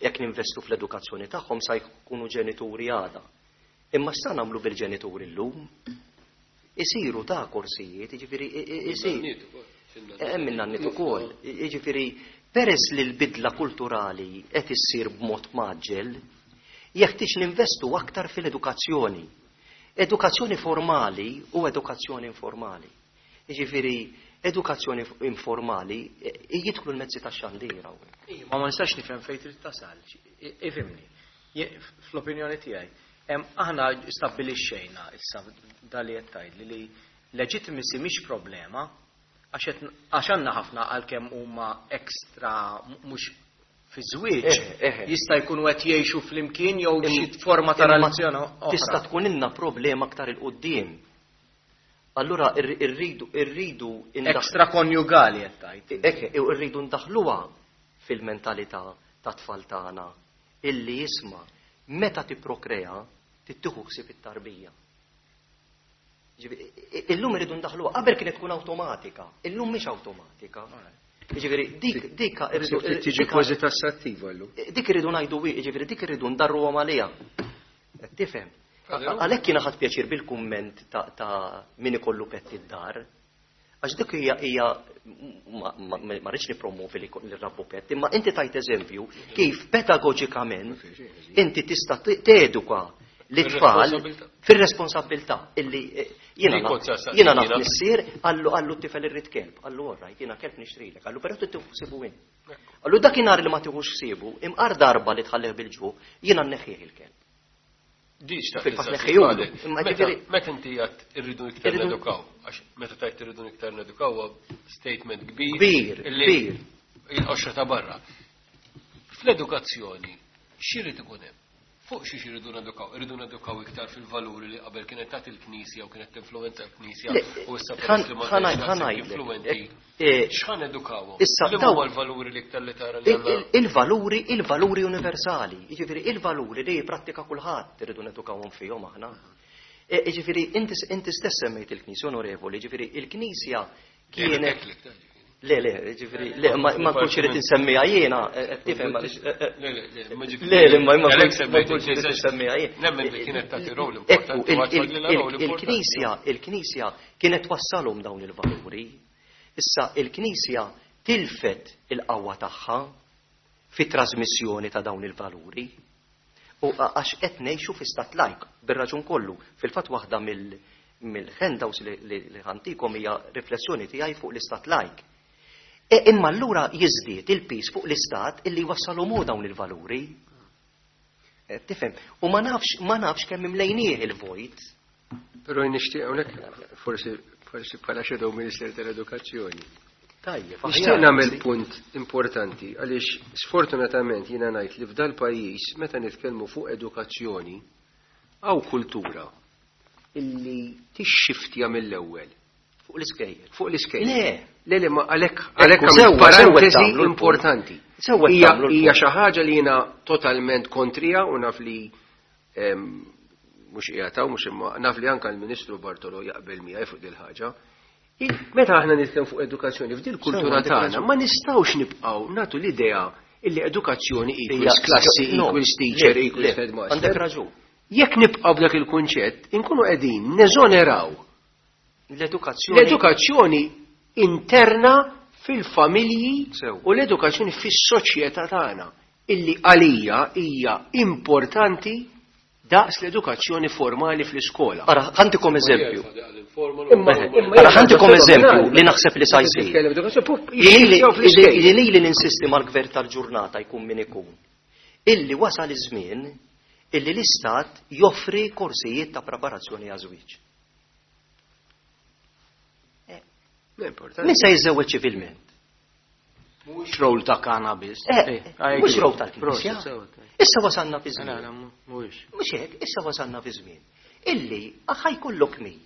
jekk ninvestu fl-edukazzjoni tagħhom sa jkunu ġenituri għada. Imma x'sa nagħmlu bil-ġenituri llum? Isiru ta' korsijiet, jiġifieri i-, i-, isir. Nannit ukoll, x'in-nannit. Hemm in-nannit ukoll. Jiġifieri peress li l-bidla kulturali qed issir b'mod maġġel, jeħtieġ ninvestu aktar fil-edukazzjoni. Edukazzjoni formali u edukazzjoni informali. Jiġifieri edukazzjoni informali, e, jidħlu l-mezzi tax-xandir hawnhekk. Ija, ma ma nistax nifhem fejn trid tasal. I-, ifhimni. Je-, fl-opinjoni tiegħi, hemm aħna stabbilixxejna issa dali qed tgħidli li legitimacy mhix problema għax qed n-, għax għandna ħafna għalkemm huma ekstra m-, mhux fi żwieġ, Eħe, eħe. jista' jkunu qed jgħixu flimkien jew Im- xi forma ta' imma relazzjoni oħra. Tista' tkun ilna problema aktar il quddiem. Allura irri-, irridu, irridu indaħ- Ekstra konjugali qed tgħid. Eħe, irridu ndaħluha fil-mentalità ta' tfal tagħna illi jisma' meta tipprokrea tittieħu ħsieb it-tarbija. Ġifieri, i-, illum irridu ndaħluha, qabel kienet tkun awtomatika, illum mhix awtomatika. Ġifieri, dik, dik irridu, Tiġi dik- kważi tassattiva llum. dik irridu ngħidu wi, ġifieri dik irridu ndarruhom għaliha. Qed tifhem? Għalhekk jiena ħadt pjaċir bil-kumment ta' min ikollu pet id-dar. Għax dik hija hija ma rridx nippromovi li nrabbu pet, imma inti tajt eżempju kif pedagoġikament inti tista' teduka l-tfal fir-responsabilità illi jiena jiena naf missier qallu qallu t-tifel irrid kelb, qallu all right, jiena kelb nixtrilek, qallu però trid tieħu ħsiebu int. Qallu dakinhar li ma tieħux ħsiebu, imqar darba li tħallih bil-ġuħ, jiena nneħħih il-kelb. Meta inti għedt irridu iktar nedukaw, għax meta tgħid irridu iktar nedukaw huwa statement kbir. Kbir, kbir. Il-qoxra ta' barra. Fl-edukazzjoni, x'irid ikun hemm? Fuq xiex irridu nedukaw? Irridu nedukaw iktar fil-valuri li qabel kienet tagħti il-Knisja u kienet tinfluwenza l-Knisja u issa peress li ma influwenti. X'ħa nedukawhom? Issa Li huma l-valuri li iktar li tara li għandna? Il-valuri, il-valuri universali, jiġifieri il-valuri li jipprattika kulħadd irridu nedukawhom fihom aħna. Jiġifieri inti stess semmejt il-Knisja onorevoli, jiġifieri il-Knisja kienet Le, le, ġifieri, le, ma nkunx irid insemmiha jiena, tifhem Le, le, ma ma nkunx irid insemmiha jiena. Nemmen li kienet tagħti rol importanti. Il-Knisja, il-Knisja kienet twassalhom dawn il-valuri. Issa il-Knisja tilfet il-qawwa tagħha fit-trasmissjoni ta' dawn il-valuri. U għax qed ngħixu fi stat lajk, bir-raġun kollu. Fil-fatt waħda mill-handouts li ħa ntikom hija riflessjoni tiegħi fuq l-istat lajk. E imma allura jiżdied il-piż fuq l-istat illi wassalhom dawn il-valuri. Tifhem, u ma nafx ma nafx kemm imlejnieh il-vojt. Però nixtieq hawnhekk forsi forsi bħala shadow minister tal-edukazzjoni. Tajjeb, nixtieq nagħmel punt importanti għaliex sfortunatament jiena ngħid li f'dal pajjiż meta nitkellmu fuq edukazzjoni hawn kultura illi tixxiftja mill-ewwel. Fuq l-iskejjel. Fuq l-iskejjel. Le. Le, le, ma għalhekk għalhekk parentesi importanti. Hija xi ħaġa li jiena totalment kontrija u naf li mhux qiegħed mhux imma naf li anke l-Ministru Bartolo jaqbel miegħi fuq dil ħaġa. Meta aħna nitkellmu fuq edukazzjoni f'dil kultura tagħna ma nistgħux nibqgħu nagħtu l-idea illi edukazzjoni equals klassi equals teacher equals headmaster. Għandek raġun. Jekk nibqgħu b'dak il-kunċett, inkunu qegħdin neżoneraw l-edukazzjoni l-edukazzjoni interna fil-familji u l-edukazzjoni fis-soċjetà tagħna illi għalija hija importanti daqs l-edukazzjoni formali fl-iskola. Ara, ħa ntikom eżempju. Ara, ħa ntikom eżempju li naħseb li sa jsir. Li li ninsisti mal-gvern tal-ġurnata jkun min ikun. Illi wasal iż-żmien illi l-istat joffri korsijiet ta' preparazzjoni għaż-żwieġ. Min se jiżżewweġ ċivilment? Mhux rol ta' cannabis. Mhux rol tal-Knisja. Issa wasalna fi żmien. Mhuwiex. Mhux hekk, issa wasalna fi żmien. Illi ħa jkollok min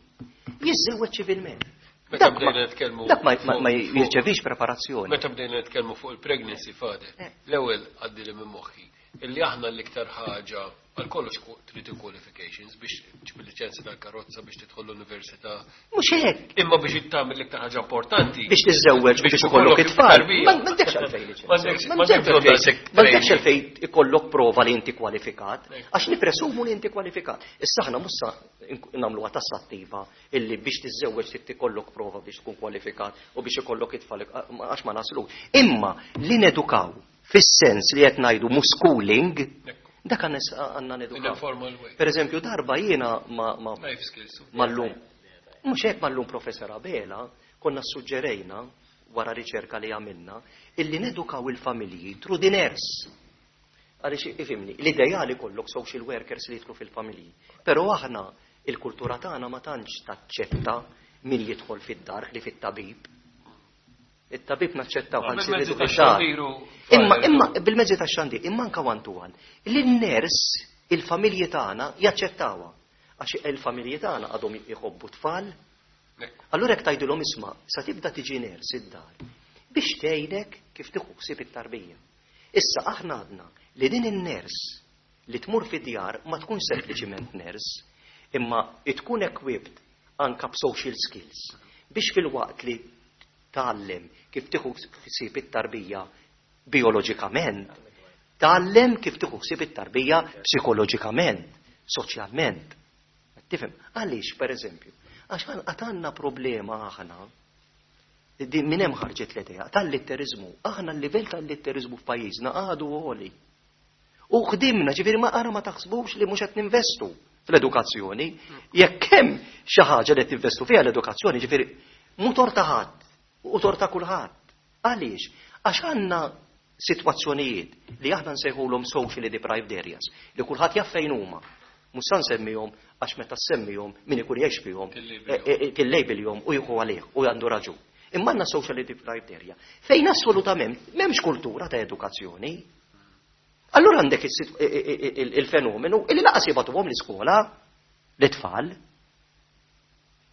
jiżżewweġ ċivilment. Meta bdejna nitkellmu. Dak ma jirċevix preparazzjoni. Meta bdejna nitkellmu fuq il-pregnancy father, l-ewwel għaddi li minn moħħi illi aħna l-iktar ħaġa għal kollox trid qualifications biex ġib liċenzja tal-karozza biex tidħol l-università. Mhux hekk. Imma biex tagħmel l-iktar ħaġa importanti. Biex tiżżewweġ biex ikollok it-tfal. M'għandekx għalfejn liċenzja. M'għandekx għalfejn ikollok prova li inti kwalifikat, għax nipresumu li inti kwalifikat. Issa aħna mhux nagħmluha tassattiva illi biex tiżżewweġ trid ikollok prova biex tkun kwalifikat u biex ikollok it-tfal għax ma naslu. Imma li nedukaw fis-sens li qed ngħidu schooling, dak għandna nedukaw. Per eżempju, darba jiena ma mal-lum. Mhux hekk mal-lum Professor Abela konna suġġerejna wara riċerka li għamilna illi nedukaw il-familji through the nurse. Għaliex ifhimni, l-ideali kollok social workers li jidħlu fil-familji. Però aħna il-kultura tagħna ma tantx taċċetta min jidħol fid-dar li fit-tabib. Il-tabib naċċettaw ħansi Imma imma bil-mezzi tax-xandir, imma anka one to one. Lin-ners il-familji tagħna jaċċettawha. Għax il-familji tagħna għadhom jħobbu tfal. Allura jekk tgħidilhom isma' sa tibda tiġi ners id-dar biex tgħidek kif tieħu ħsieb it-tarbija. Issa aħna għadna li din in-ners li tmur fid-djar ma tkun sempliċiment ners, imma tkun equipped anka b'social skills biex fil-waqt li tgħallem kif tieħu ħsieb it-tarbija bioloġikament, tgħallem kif tieħu ħsieb it-tarbija psikoloġikament, soċjalment. Tifhem, għaliex pereżempju, għax għandna problema aħna, din minn hemm ħarġet l-idea tal-litteriżmu. Aħna l-livell tal-litteriżmu f'pajjiżna għadu għoli. U ħdimna, ġifieri ma ara ma taħsbux li mhux qed ninvestu fl-edukazzjoni. Jekk hemm xi ħaġa li qed tinvestu fiha l-edukazzjoni, ġifieri mhu tort ta' ħadd u tort ta' kulħadd. Għaliex? Għax għandna sitwazzjonijiet li aħna nsejħulhom socially deprived areas, li kulħadd jaf fejn huma. Mhux sa nsemmihom għax meta semmihom min ikun jgħix fihom tillabelhom u jieħu għalih u għandu raġun. Imma għandna socially deprived area fejn assolutament m'hemmx kultura ta' edukazzjoni. Allura għandek il-fenomenu illi lanqas jibagħtuhom l-iskola l-tfal.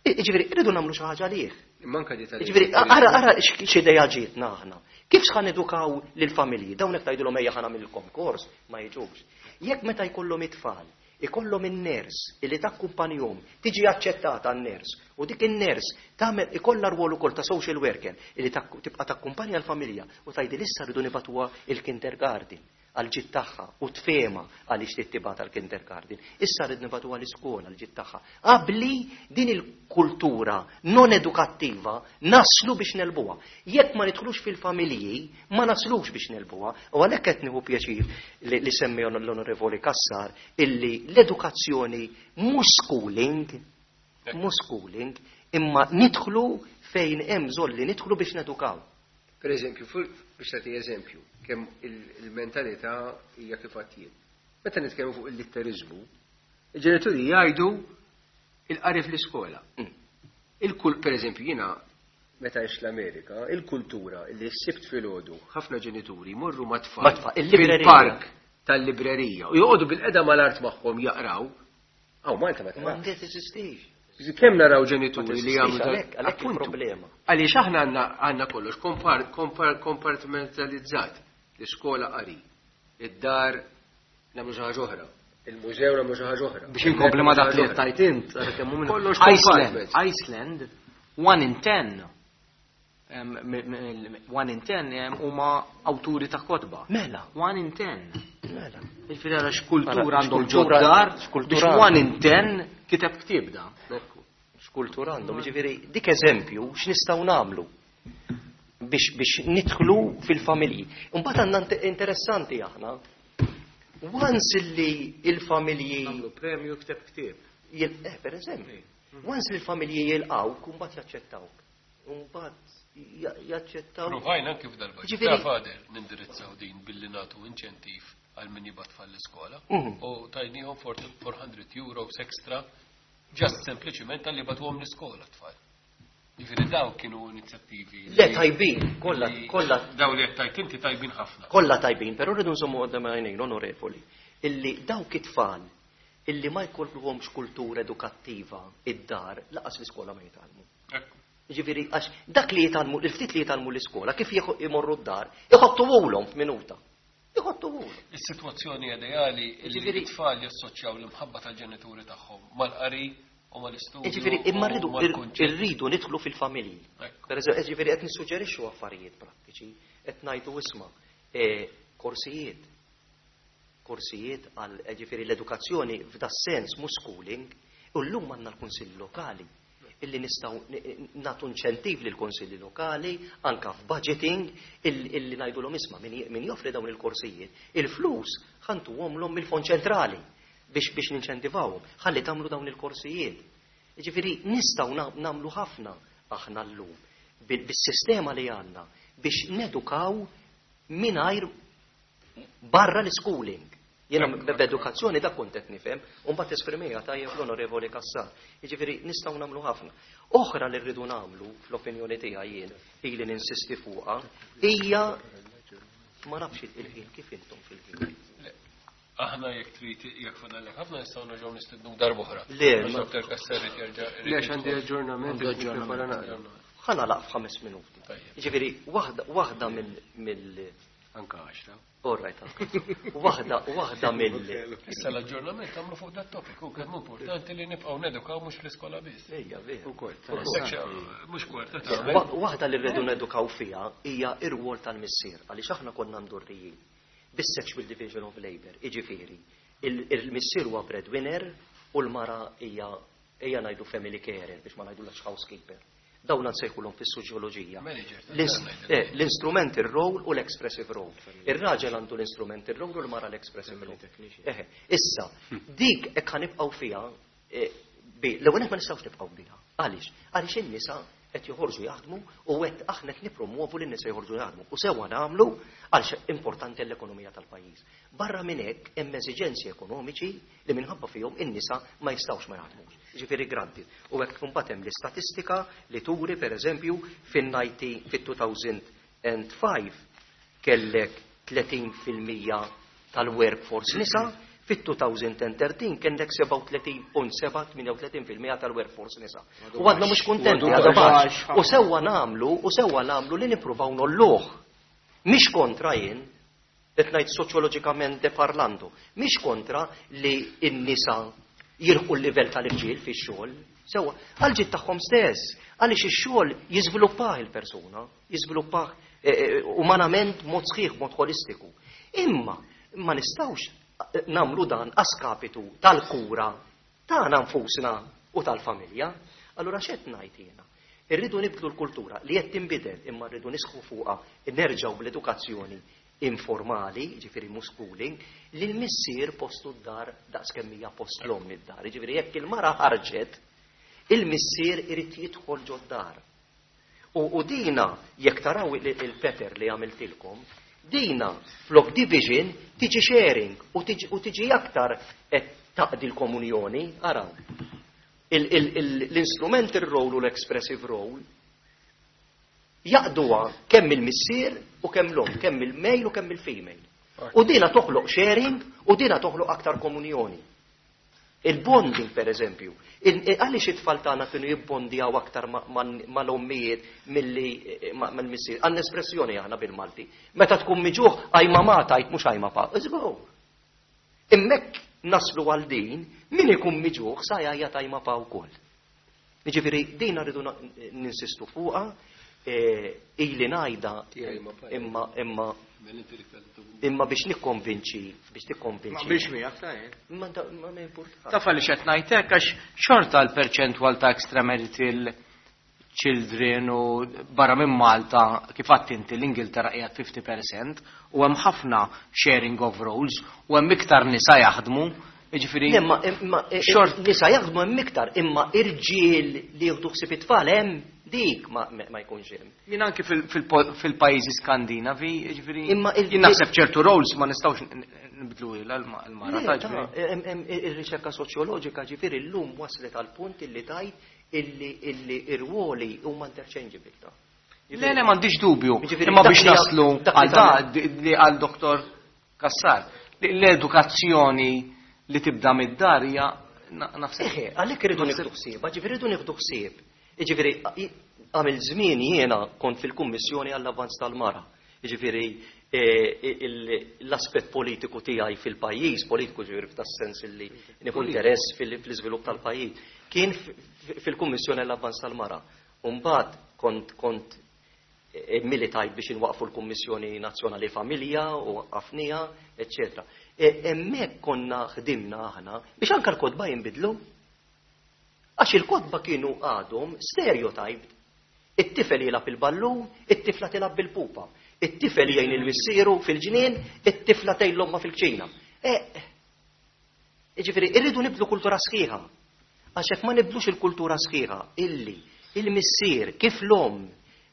Ġifieri, irridu nagħmlu xi ħaġa għalih. Manka di tal- Ġifieri, ara ara x'idea ġietna aħna. Kif x'ħa nedukaw lill-familji? Dawn hekk tgħidulhom ejja ħa nagħmilkom kors, ma jiġux. Jekk meta jkollhom it-tfal, ikollhom in-nurse illi takkumpanjhom, tiġi aċċettata n-nurse, u dik in-nurse tagħmel ikollha rwol ukoll ta' social worker illi tibqa' takkumpanja l-familja u tgħidil issa rridu nibagħtuha il-kindergarten għal-ġid tagħha u tfehma għaliex titibgħat għall-kindergarten. Issa rrid nibagħtuha l-iskola għal-ġid tagħha. Qabli din il-kultura non edukattiva naslu biex negħlbuha. Jekk ma nidħlux fil-familji, ma naslux biex negħlbuha. U għalhekk qed nieħu pjaċir li, li semmi l-Onorevoli Cassar illi l-edukazzjoni mhux schooling, mhux schooling, imma nidħlu fejn hemm bżonn li nidħlu biex nedukaw. Per eżempju, biex tagħti eżempju, kemm il-mentalità hija kif għadd Meta nitkellmu fuq il-litteriżmu, il-ġenituri jgħidu il-qari fl-iskola. Mm. Il-kull, per eżempju, jiena meta għext l-Amerika, il-kultura li s-Sibt filgħodu ħafna ġenituri jmorru ma' tfal Ma' tfal, il-librerija. fil-park tal-librerija u joqogħdu bilqiegħda mal-art magħhom jaqraw. Aw Malta ma Ma tarax. teżistix. Kemm naraw ġenituri Ma li teżistix, jagħmlu għalhekk- għalhekk Appuntu. il-problema. Għaliex aħna għandna għandna kollox kompar- kompar- kompartmentalizzat. L-iskola qari, id-dar nagħmlu xi ħaġa oħra, il-mużew nagħmlu xi ħaġa oħra. Biex inkompli ma dak li tajt int, għara kemm hu minn- Kollox Iceland, compartment. Iceland, one in ten, em, m- m- one in ten em, huma awturi ta' kotba. Mela. One in ten. Mela. Ġifieri ara x'kultura Ara, għandhom x'kultura- ġod-dar x'kultura biex one in ten kiteb ktieb da. X'kultura għandhom, ġifieri dik eżempju x'nistgħu nagħmlu biex biex nidħlu fil-familji. Imbagħad għandna int- interessanti aħna. Once li il-familji Nagħmlu premju kiteb ktieb. jil- eh, per eżempju, once li l-familji jilqawk, mbagħad jaċċettawk. Mbagħad ja- jaċċettaw. Provajna anki f'dal-budget. Ġifieri- Ta' fader nindirizzaw din billi nagħtu inċentiv għal min jibgħat tfal l-iskola. Mhm. U tajnihom four hundred euros extra just sempliċiment talli bagħtuhom l-iskola tfal. Ġifieri daw kienu inizjattivi. Le tajbin, kollha li- kollha Daw li qed tajt inti tajbin ħafna. Kollha tajbin, però rridu nżommu quddiem għajnejn, onorevoli, illi dawk it-tfal illi ma jkollhomx kultura edukattiva id-dar, lanqas l-iskola ma jitgħallmu. Ekku. Ġifieri, għax dak li jitgħallmu, il-ftit li jitgħallmu l-iskola, kif jieħu- imorru d-dar, iħottuhulhom f'minuta. Iħottuhulhom. Is-sitwazzjoni ideali li Ġifieri- t-tfal jassoċjaw l-imħabba tal-ġenituri tagħhom mal-qari u mal-istudju. Ġifieri, imma rridu u mal-kunċett. irridu nidħlu fil-familji. Ekku. Per eżempju, ġifieri qed nissuġġerixxu affarijiet prattiċi, qed ngħidu isma' eh, korsijiet. Korsijiet għal eh, ġifieri l-edukazzjoni f'da sens mhux schooling, u llum għandna l-kunsilli lokali illi nistgħu nagħtu inċentiv lil konsilli lokali anka f'budgeting illi ngħidulhom isma' min min joffri dawn il-korsijiet, il-flus ħa ntuhomlhom mill-fond ċentrali biex biex ninċentivawhom, ħalli tagħmlu dawn il-korsijiet. Ġifieri nistgħu nagħmlu ħafna aħna llum bil-sistema li għandna biex nedukaw mingħajr barra l-schooling. Jena b'edukazzjoni da kont qed nifhem, u mbagħad esprimija tajjeb l-Onorevoli Cassar. Jiġifieri nistgħu nagħmlu ħafna. Oħra li rridu nagħmlu fl-opinjoni tiegħi jien ili ninsisti fuqha hija ma nafx il-ħin kif intom fil-ħin. Aħna jekk trid jekk fadallek ħafna nistgħu nerġgħu nistednu darb'oħra. Le, ma Doktor Cassar jerġa' Le, għandi aġġornament. Għandu aġġornament. Ħa nagħlaq f'ħames minuti. Tajjeb. Jiġifieri waħda waħda mill mill Anka għaxra. All right, anka. Waħda waħda mill Issa l-aġġornament tagħmlu fuq dat topic u kemm importanti li nibqgħu nedukaw mhux fl-iskola biss. Ejja, vera. Ukoll. Mhux kwarta tagħmel. Wa- Waħda li rridu nedukaw fiha hija ir-rwol tal-missier għaliex aħna konna mdorrijin bis-sexual division of labor, iġifieri, il-missier huwa breadwinner u l-mara hija ejja ngħidu family carer biex ma ngħidulhiex housekeeper. Dawn nsejħulhom fis-soċjoloġija. Eh, l-instrumental role u l-expressive role. Ir-raġel għandu l-instrumental role u l-mara l-expressive role. Issa, dik hekk ħa nibqgħu fiha, eh, l-ewwel ma nistgħux nibqgħu biha. Għaliex? Għaliex in-nisa qed joħorġu jaħdmu u qed aħna qed nippromuovu li n-nisa joħorġu jaħdmu. U sewwa nagħmlu għaliex importanti l-ekonomija tal-pajjiż. Barra minn hekk hemm eżiġenzi ekonomiċi li minħabba fihom in-nisa ma jistgħux ma jaħdmux. Ġifieri granted. U hekk imbagħad hemm l-istatistika li turi pereżempju fin-disgħin fit-elfejn u ħamsa kellek tletin fil-mija tal-workforce nisa, fit-elfejn u tlettax kellek sebgħa u tletin punt sebgħa tmienja u tletin fil-mija tal-workforce nisa. U għadna mhux kuntenti, għadha baxx. U sewwa nagħmlu, u sewwa nagħmlu li nippruvaw ngħolluh. Mhix kontra jien, qed ngħid soċjoloġikament parlando, mhix kontra li n-nisa jilħqu l-livell tal-irġiel fix-xogħol, sewwa, għal-ġid tagħhom stess, għaliex ix-xogħol jiżviluppah il-persuna, jiżviluppah eh, eh, umanament mod sħiħ, mod holistiku. Imma ma nistgħux nagħmlu dan a skapitu tal-kura tagħna nfusna u tal-familja. Allura x'qed ngħid jiena? Irridu nibdlu l-kultura li qed tinbidel, imma rridu nisħu fuqha, nerġgħu bl-edukazzjoni informali, ġifieri mhux schooling, li l-missier postu d-dar daqs kemm hija post l-omm id-dar. Ġifieri jekk il-mara ħarġet, il-missier irid jidħol ġod-dar. U, u dina, jekk taraw il-pattern li għamiltilkom, dina flok division tiġi sharing u tiġi, u tiġi aktar qed taqdi l-komunjoni, araw. L-instrumental role u l-expressive role jaqduha kemm il-missier u kemm l-omm, kemm il-male u kemm il-female. U dina toħloq sharing u dina toħloq aktar komunjoni. Il-bonding, per eżempju, għaliex it-tfal tagħna kienu jibbondjaw aktar mal-ommijiet milli mal-missier? Għandna espressjoni aħna bil-Malti. Meta tkun muġugħ, "Ajma ma" tgħid, mhux "Ajma pa". Iżgħu. Imma jekk naslu għal din, min ikun muġugħ sa jgħajjat "Ajma pa" wkoll. Jiġifieri din rridu ninsistu fuqha, ili ngħidha imma imma imma biex nikkonvinċi, biex tikkonvinċi. Ma biex miegħek ta' jien. Ma ma ma importa. Taf għaliex qed ngħidlek, għax xorta l-perċentwal ta' extramarital children u barra minn Malta, kif għedt inti, l-Ingilterra qiegħed fifty percent u hemm ħafna sharing of roles u hemm iktar nisa jaħdmu. Jiġifieri Imma imma Xort- nisa jaħdmu hemm iktar, imma irġiel li jieħdu ħsieb it-tfal hemm dik ma ma jkunx hemm. Jien anki fil- fil- fil-pajjiżi Skandinavi, jiġifieri Imma il- jien naħseb ċertu roles ma nistgħux nbidlu l-mara Le, ta' ta' ġifieri. em- em- Ir-riċerka soċjoloġika ġifieri llum waslet għal punt illi tgħid illi illi ir-ruoli huma interchangeable ta'. Le, le, m'għandix dubju. Ġifieri, Imma dak biex li- naslu dak li għal da tagħmel- di- li għal Doktor Kassar, li l-edukazzjoni li tibda mid-dar hija na- naħseb. Eħe, għalhekk irridu nieħdu ħsieb, ġifieri rridu nieħdu ħsieb. Ġifieri għamil żmien jiena kont fil-Kummissjoni għall-Avvanz tal-Mara. Ġifieri eh, il- l-aspett politiku tiegħi fil-pajjiż, politiku ġifieri f'tas-sens li nieħu interess fil- fl-iżvilupp tal-pajjiż, kien f- f- fil-Kummissjoni għall-Avvanz tal-Mara. Umbagħad kont kont eh, militajt biex inwaqfu l-Kummissjoni Nazzjonali Familja u waqqafnieha, eccetera. E, Hemmhekk konna ħdimna aħna biex anka l-kotba jinbidlu. Għax il-kotba kienu għadhom stereotyped. It-tifel jilgħab il-ballun, it-tifla tilgħab bil-pupa. It-tifel jgħin il-missieru fil-ġnien, it-tifla tgħin l-omma fil-kċina. E, Ġifieri, irridu nibdlu kultura sħiħa. Għax jekk ma nibdlux il-kultura sħiħa, illi il-missier kif l-om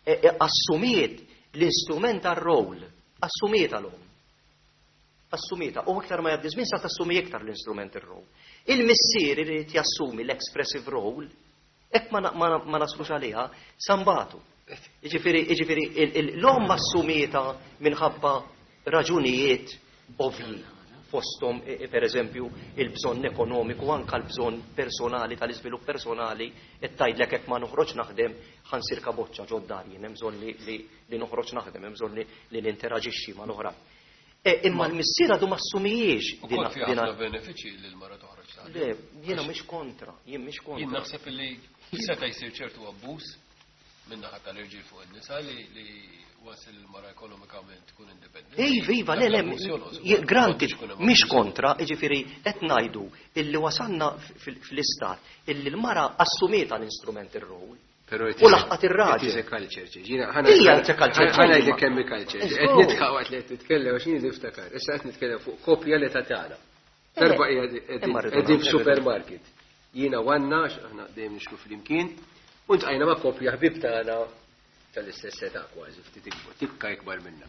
e, e, assumiet l-instrumental role, assumiet l-om. Assumieta, u iktar ma jgħaddi żmien sa tassumi iktar l-instrumental role. Il-missier irid jassumi l-expressive role, hekk ma, ma, ma naslux għaliha, sa nbatu. Ġifieri, ġifieri, l-om assumietha minħabba raġunijiet ovvji fostom, e, e, per eżempju, il-bżonn ekonomiku, anka l-bżonn personali, tal-iżvilupp personali, et tgħidlek hekk ma noħroġ naħdem ħa nsir kaboċċa ġod-dar, jien hemm bżonn li, li, li noħroġ naħdem, hemm bżonn li, li ninteraġixxi ma' l-oħrajn. E, imma l-missier għadu ma assumijiex U kol fi ħafna benefiċi li l-mara toħroġ taħdem. Le, jiena mhix kontra, jien mhix kontra. Jien naħseb li seta' jsir ċertu abbuż Min-naħa tal-irġiel fuq in-nisa li li wasal il-mara ekonomikament tkun indipendenti. Iva, iva, le, le, granted, mhix kontra, jiġifieri qed ngħidu illi wasalna fl-istat illi l-mara assumiet l-instrumental role. U laħqat ir-raġel. It is a culture change. Hija it's a culture change. Ħa ngħidlek kemm culture. Qed nidħaq waqt li qed titkellem għax jien niftakar. Issa qed nitkellem fuq koppja li ta' tagħna. Darba qegħdin f'supermarket. Jiena għandna, aħna dejjem nixtru flimkien, u ltqajna ma' koppja ħbib tagħna tal-istess età kważi, ftit ikbar, tikka ikbar minna.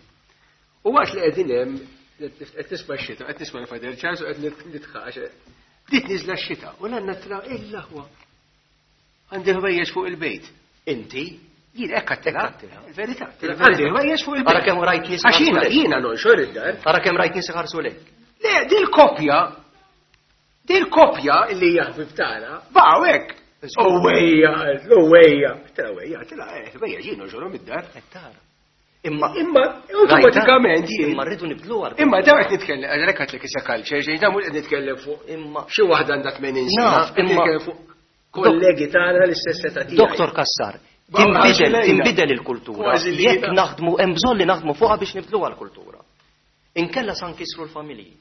U waqt li qegħdin hemm qed nisma' x-xita, qed nisma' l-Father Charles u qed nidħaq għax bdiet niżla x-xita u l-għandna tra il-laħwa. Għandi ħwejjeġ fuq il-bejt. Inti? Jien hekk għattilha. Il-verità. Għandi ħwejjeġ fuq il-bejt. Ara kemm rajt nies. Għax jiena jiena nonxor id-dar. Ara kemm rajt nies iħarsu lejk. Le, dil-koppja, dil-koppja li hija ħbib tagħna, baqgħu hekk. Owejja, owejja. Tela owejja, tela owejja, jien nonxorhom id-dar. Imma imma automatikament jien. Imma rridu nibdlu għal. Imma dawn qed nitkellem, għalhekk għedtlek issa culture, xejn dawn mhux qed nitkellem fuq Imma xi waħda għandha tmenin sena, Naf, qed imma nitkellem fuq kollegi tagħna l-istess età tiegħi. Doktor Cassar, tinbidel tinbidel il-kultura. Kważi li Jekk jiena. naħdmu hemm bżonn li naħdmu fuqha biex nibdluha l-kultura. Inkella sa nkissru l-familji.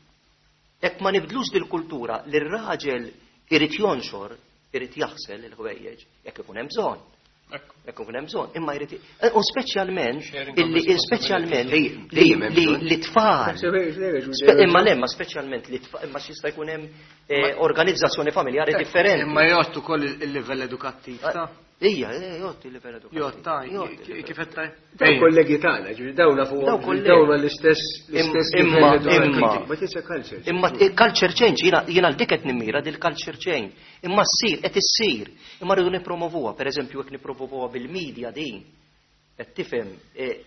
Jekk ma nibdlux dil-kultura li r-raġel irid jonxor, irid jaħsel il-ħwejjeġ, jekk ikun hemm bżonn. Jekk ikun hemm bżonn, imma jrid u speċjalment Sharing of illi speċjalment li Dejjem hemm li bżonn. li tfal. Spe- Imma le, ma speċjalment li tfal, imma x'jista' jkun hemm eh, organizzazzjoni familjari differenti. Imma jgħottu ukoll il-livell edukattiv ta' Ija, eh, jgħotti il-livell edukattiv. Jgħotta, Jgħotti il-livell kif qed tgħid? Dawn kollegi tagħna, ġifieri dawn nafu Dawn kollegi. dawn l-istess l-istess Imma- livell edukattiv. imma- But it's a culture. Imma culture change, jiena jiena l-dik qed nimmira dil culture change. Imma ssir, qed issir. Imma rridu nippromovuha, pereżempju jekk nippromovuha bil-media din. Qed tifhem, eh,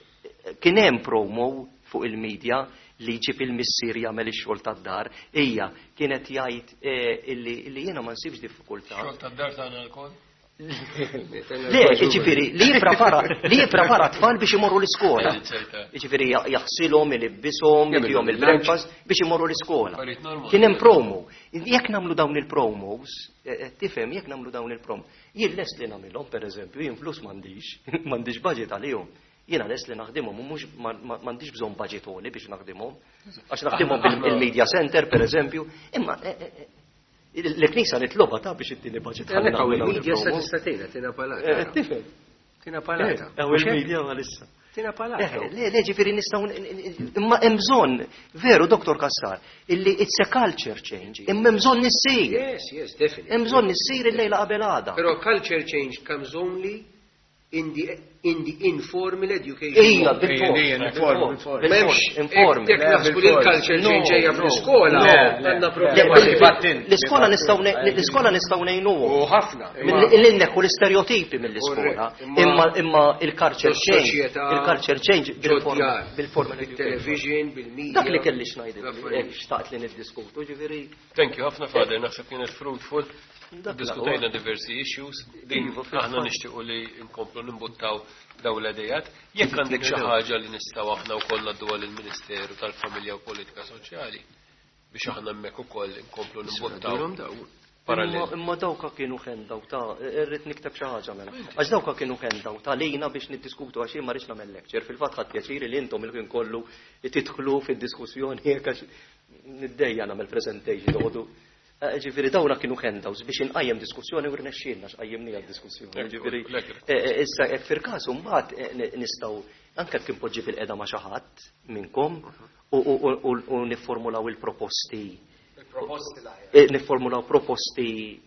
kien hemm promo fuq il-media li jġib il-missier jagħmel ix-xogħol tad-dar. Ija, kienet jgħid eh, illi illi jiena ma nsibx diffikultà. Xogħol tad-dar tagħna lkoll. Le, jiġifieri, li jipprepara li jipprepara tfal biex imorru l-iskola. Jiġifieri jaħsilhom, ilibbishom, jagħtihom il-breakfast biex imorru l-iskola. Affarijiet normali. Kien hemm promo. Jekk nagħmlu dawn il-promos, eh, eh, tifhem, jekk nagħmlu dawn il-promo. Jien lest li nagħmilhom pereżempju, jien flus m'għandix, m'għandix budget għalihom. Jiena lest li naħdimhom u mhux ma- ma- m'għandix bżonn budget għoli biex naħdimhom. Għax naħdimhom bil-media center pereżempju. Imma eh, eh, eh, l-Knisja nitloba ta' biex ittini budget ħalli Għalhekk hawn nagħmlu dawn il-media sa il-promos. tista' tgħinha tina Eh, palata. Tifhem. Tina palata. Hawn il-media għalissa. Tina palata. Eh, Le, le, ġifieri nistgħu imma hemm bżonn, veru Doktor Cassar, illi it's a culture change, imma hemm bżonn issir. Yes, yes, definitely. Hemm bżonn issir il-lejla qabel għada. Però culture change comes only in the in the informal education. Ija, mode. bil-fors. Ija, informal, Bil-fors, M'hemmx jekk naħsbu li l-culture change ġejja fl-iskola, għandna problema. L-iskola nistgħu l-iskola nistgħu ngħinuhom. U ħafna. L-inneħħu l-istereotipi mill-iskola. Correct. Imma imma il-culture change, Soċjetà, il-culture change ġod-djar, bil-formal bil-television, bil-media. Dak li kelli x'ngħidilek, L-affarijiet. hekk xtaqt li niddiskutu, ġifieri. Thank you ħafna Father, naħseb kienet fruitful. Dak Diskutejna diversi issues, din Iva, fil-fatt. aħna nixtiequ li nkomplu nimbuttaw daw l-idejat. Jekk għandek xi ħaġa li nistgħu aħna wkoll ngħadduha lill-Ministeru tal-Familja u Politika Soċjali biex aħna hemmhekk ukoll inkomplu nimbuttaw Durhom daw. parallel. Imma imma dawka kienu handout ta' irrid nikteb xi ħaġa mela. Għax dawka kienu handout ta' lejna biex niddiskutu għax jien ma rridx nagħmel lecture. Fil-fatt ħadd pjaċiri li intom il-ħin kollu tidħlu fid-diskussjoni jekk għax niddejja nagħmel presentation toqgħodu. Eh, Ġifieri dawna kienu handouts biex inqajjem diskussjoni u rnexxielna x'qajjimniha d-diskussjoni. Ekku, Ġifieri lekk. eh, eh, issa hekk fil-każ imbagħad eh, ni- nistgħu anke kien poġġi fil-qeda ma' xi ħadd minnkom u- u u- u niformulaw il-proposti Il-proposti l-aħjar. eh, niformulaw proposti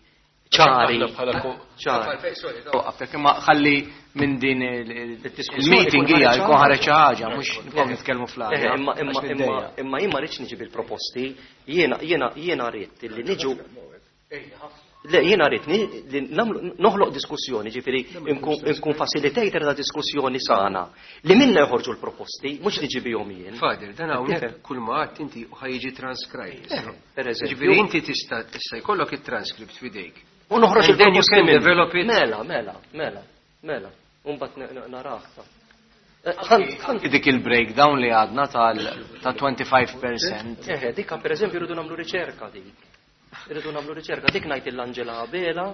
ċari. Aħna bħala ko- ċari. Waqqaftek, imma ħalli minn din il- il- Il-diskussjoni il-meeting jkun hija ħareġ jkun ħareġ xi ħaġa. ħaġa, mhux nibqgħu nitkellmu Eh, fl-arja. Imma imma għax imma niddejja. imma jien ma rridx niġi bil-proposti, jiena jiena jiena rrid li niġu Le, jiena rrid ni- li nagħmlu- noħloq diskussjoni, ġifieri nkun nkun facilitator ta' diskussjoni sana li minna joħorġu l-proposti, mhux niġi bihom jien. Father, dan hawnhekk kull ma għadt inti ħa jiġi transcribed. Eh, per eżempju. Ġifieri inti tista' tista' jkollok it-transcript f'idejk. U noħroġ And then you il-proposti can minnu. develop it. Mela, mela, mela, mela. Umbat narah ta'. Eh, ħan- ħan- Dik il-breakdown li għadna tal ta' twenty-five percent. Eh, dikka per eżempju rridu nagħmlu riċerka dik. Irridu nagħmlu riċerka dik ngħid l-Angela Abela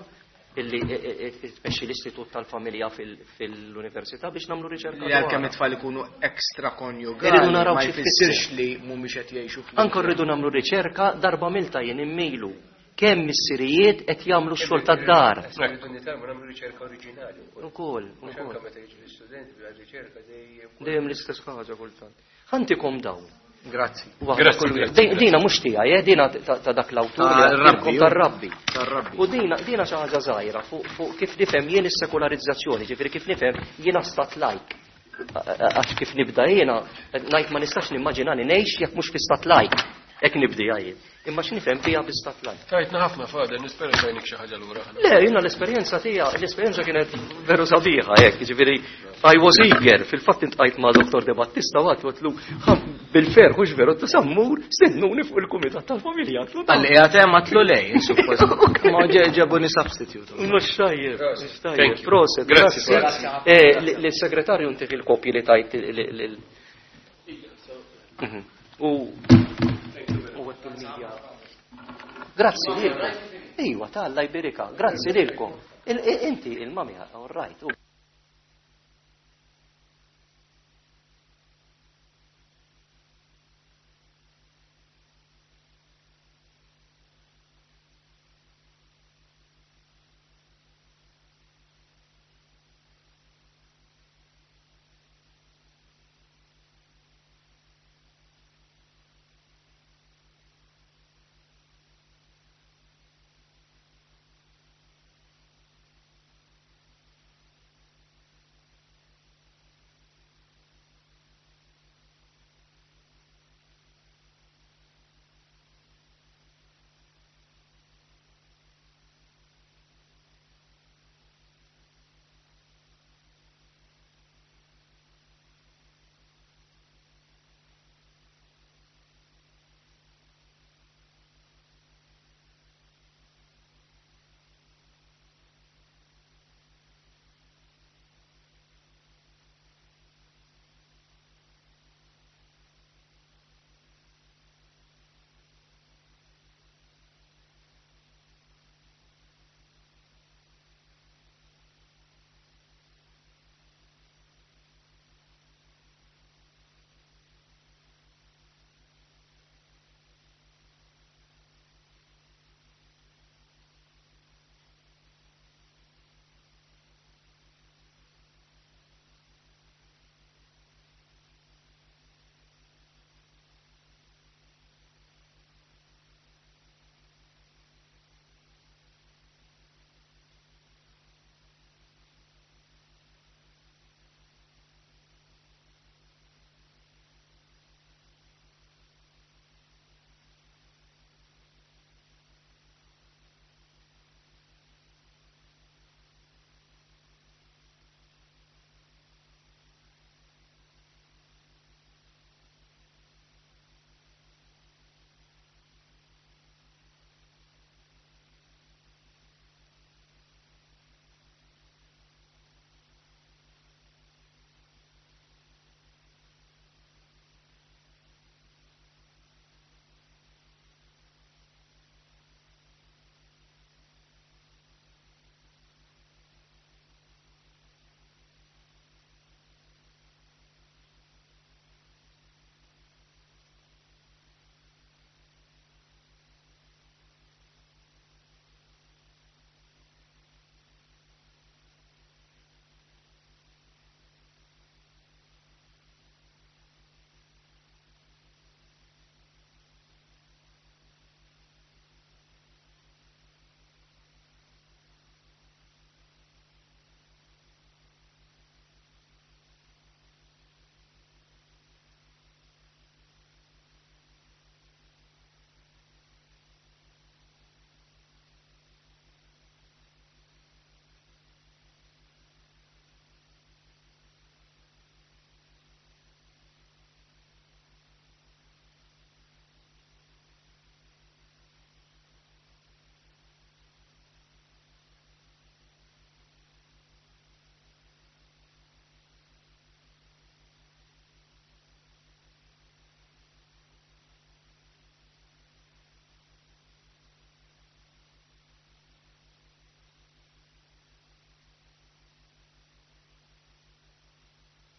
Illi tmexxi l-Istitut tal-Familja fil-Università biex nagħmlu riċerka. Li għalkemm it-tfal ikunu ekstra konjugali, naraw ma jfissirx li mhumiex qed jgħixu. Anke rridu nagħmlu riċerka darba milta jien immilu kemm missirijiet qed jagħmlu x-xogħol tad-dar. Rridu nitgħallmu nagħmlu riċerka oriġinali. Ukoll, ukoll. Meta jiġu l-istudenti bla riċerka dejjem. Dejjem l-istess ħaġa kultant. Ħantikom dawn. Grazzi. Grazzi. Dina mhux tiegħi, eh, dina ta' dak l-awtur tar-rabbi. Tar-rabbi. U dina dina xi ħaġa żgħira fuq kif nifhem jien is-sekolarizzazzjoni, ġifieri kif nifhem jiena stat lajk. Għax kif nibda jiena ngħid ma nistax nimmaġina li ngħix jekk mhux fi stat lajk. Hekk nibdi jien. Imma x'nifhem fiha bi stat lajk. Tajtna ħafna Father, nispera tajnik xi ħaġa lura. Le, jiena l-esperjenza tiegħi, l-esperjenza kienet veru sabiħa hekk, jiġifieri I was eager, fil-fatt intqajt ma' Dottor De Battista u għatlu bil-ferħ hux veru ta' sammur stennuni fuq il-kumitat tal-familja. Għalli qiegħed hemm għatlu lej, suppost. Ma ġebuni substitute. Mhux tajjeb, mhux tajjeb. Proset, grazzi. Lis-segretarju ntih il-kopji li tajt lil. U il-media. Grazzi lilkom. Ejwa, ta' Alla jberika. Grazzi lilkom. Inti il-mami, all right.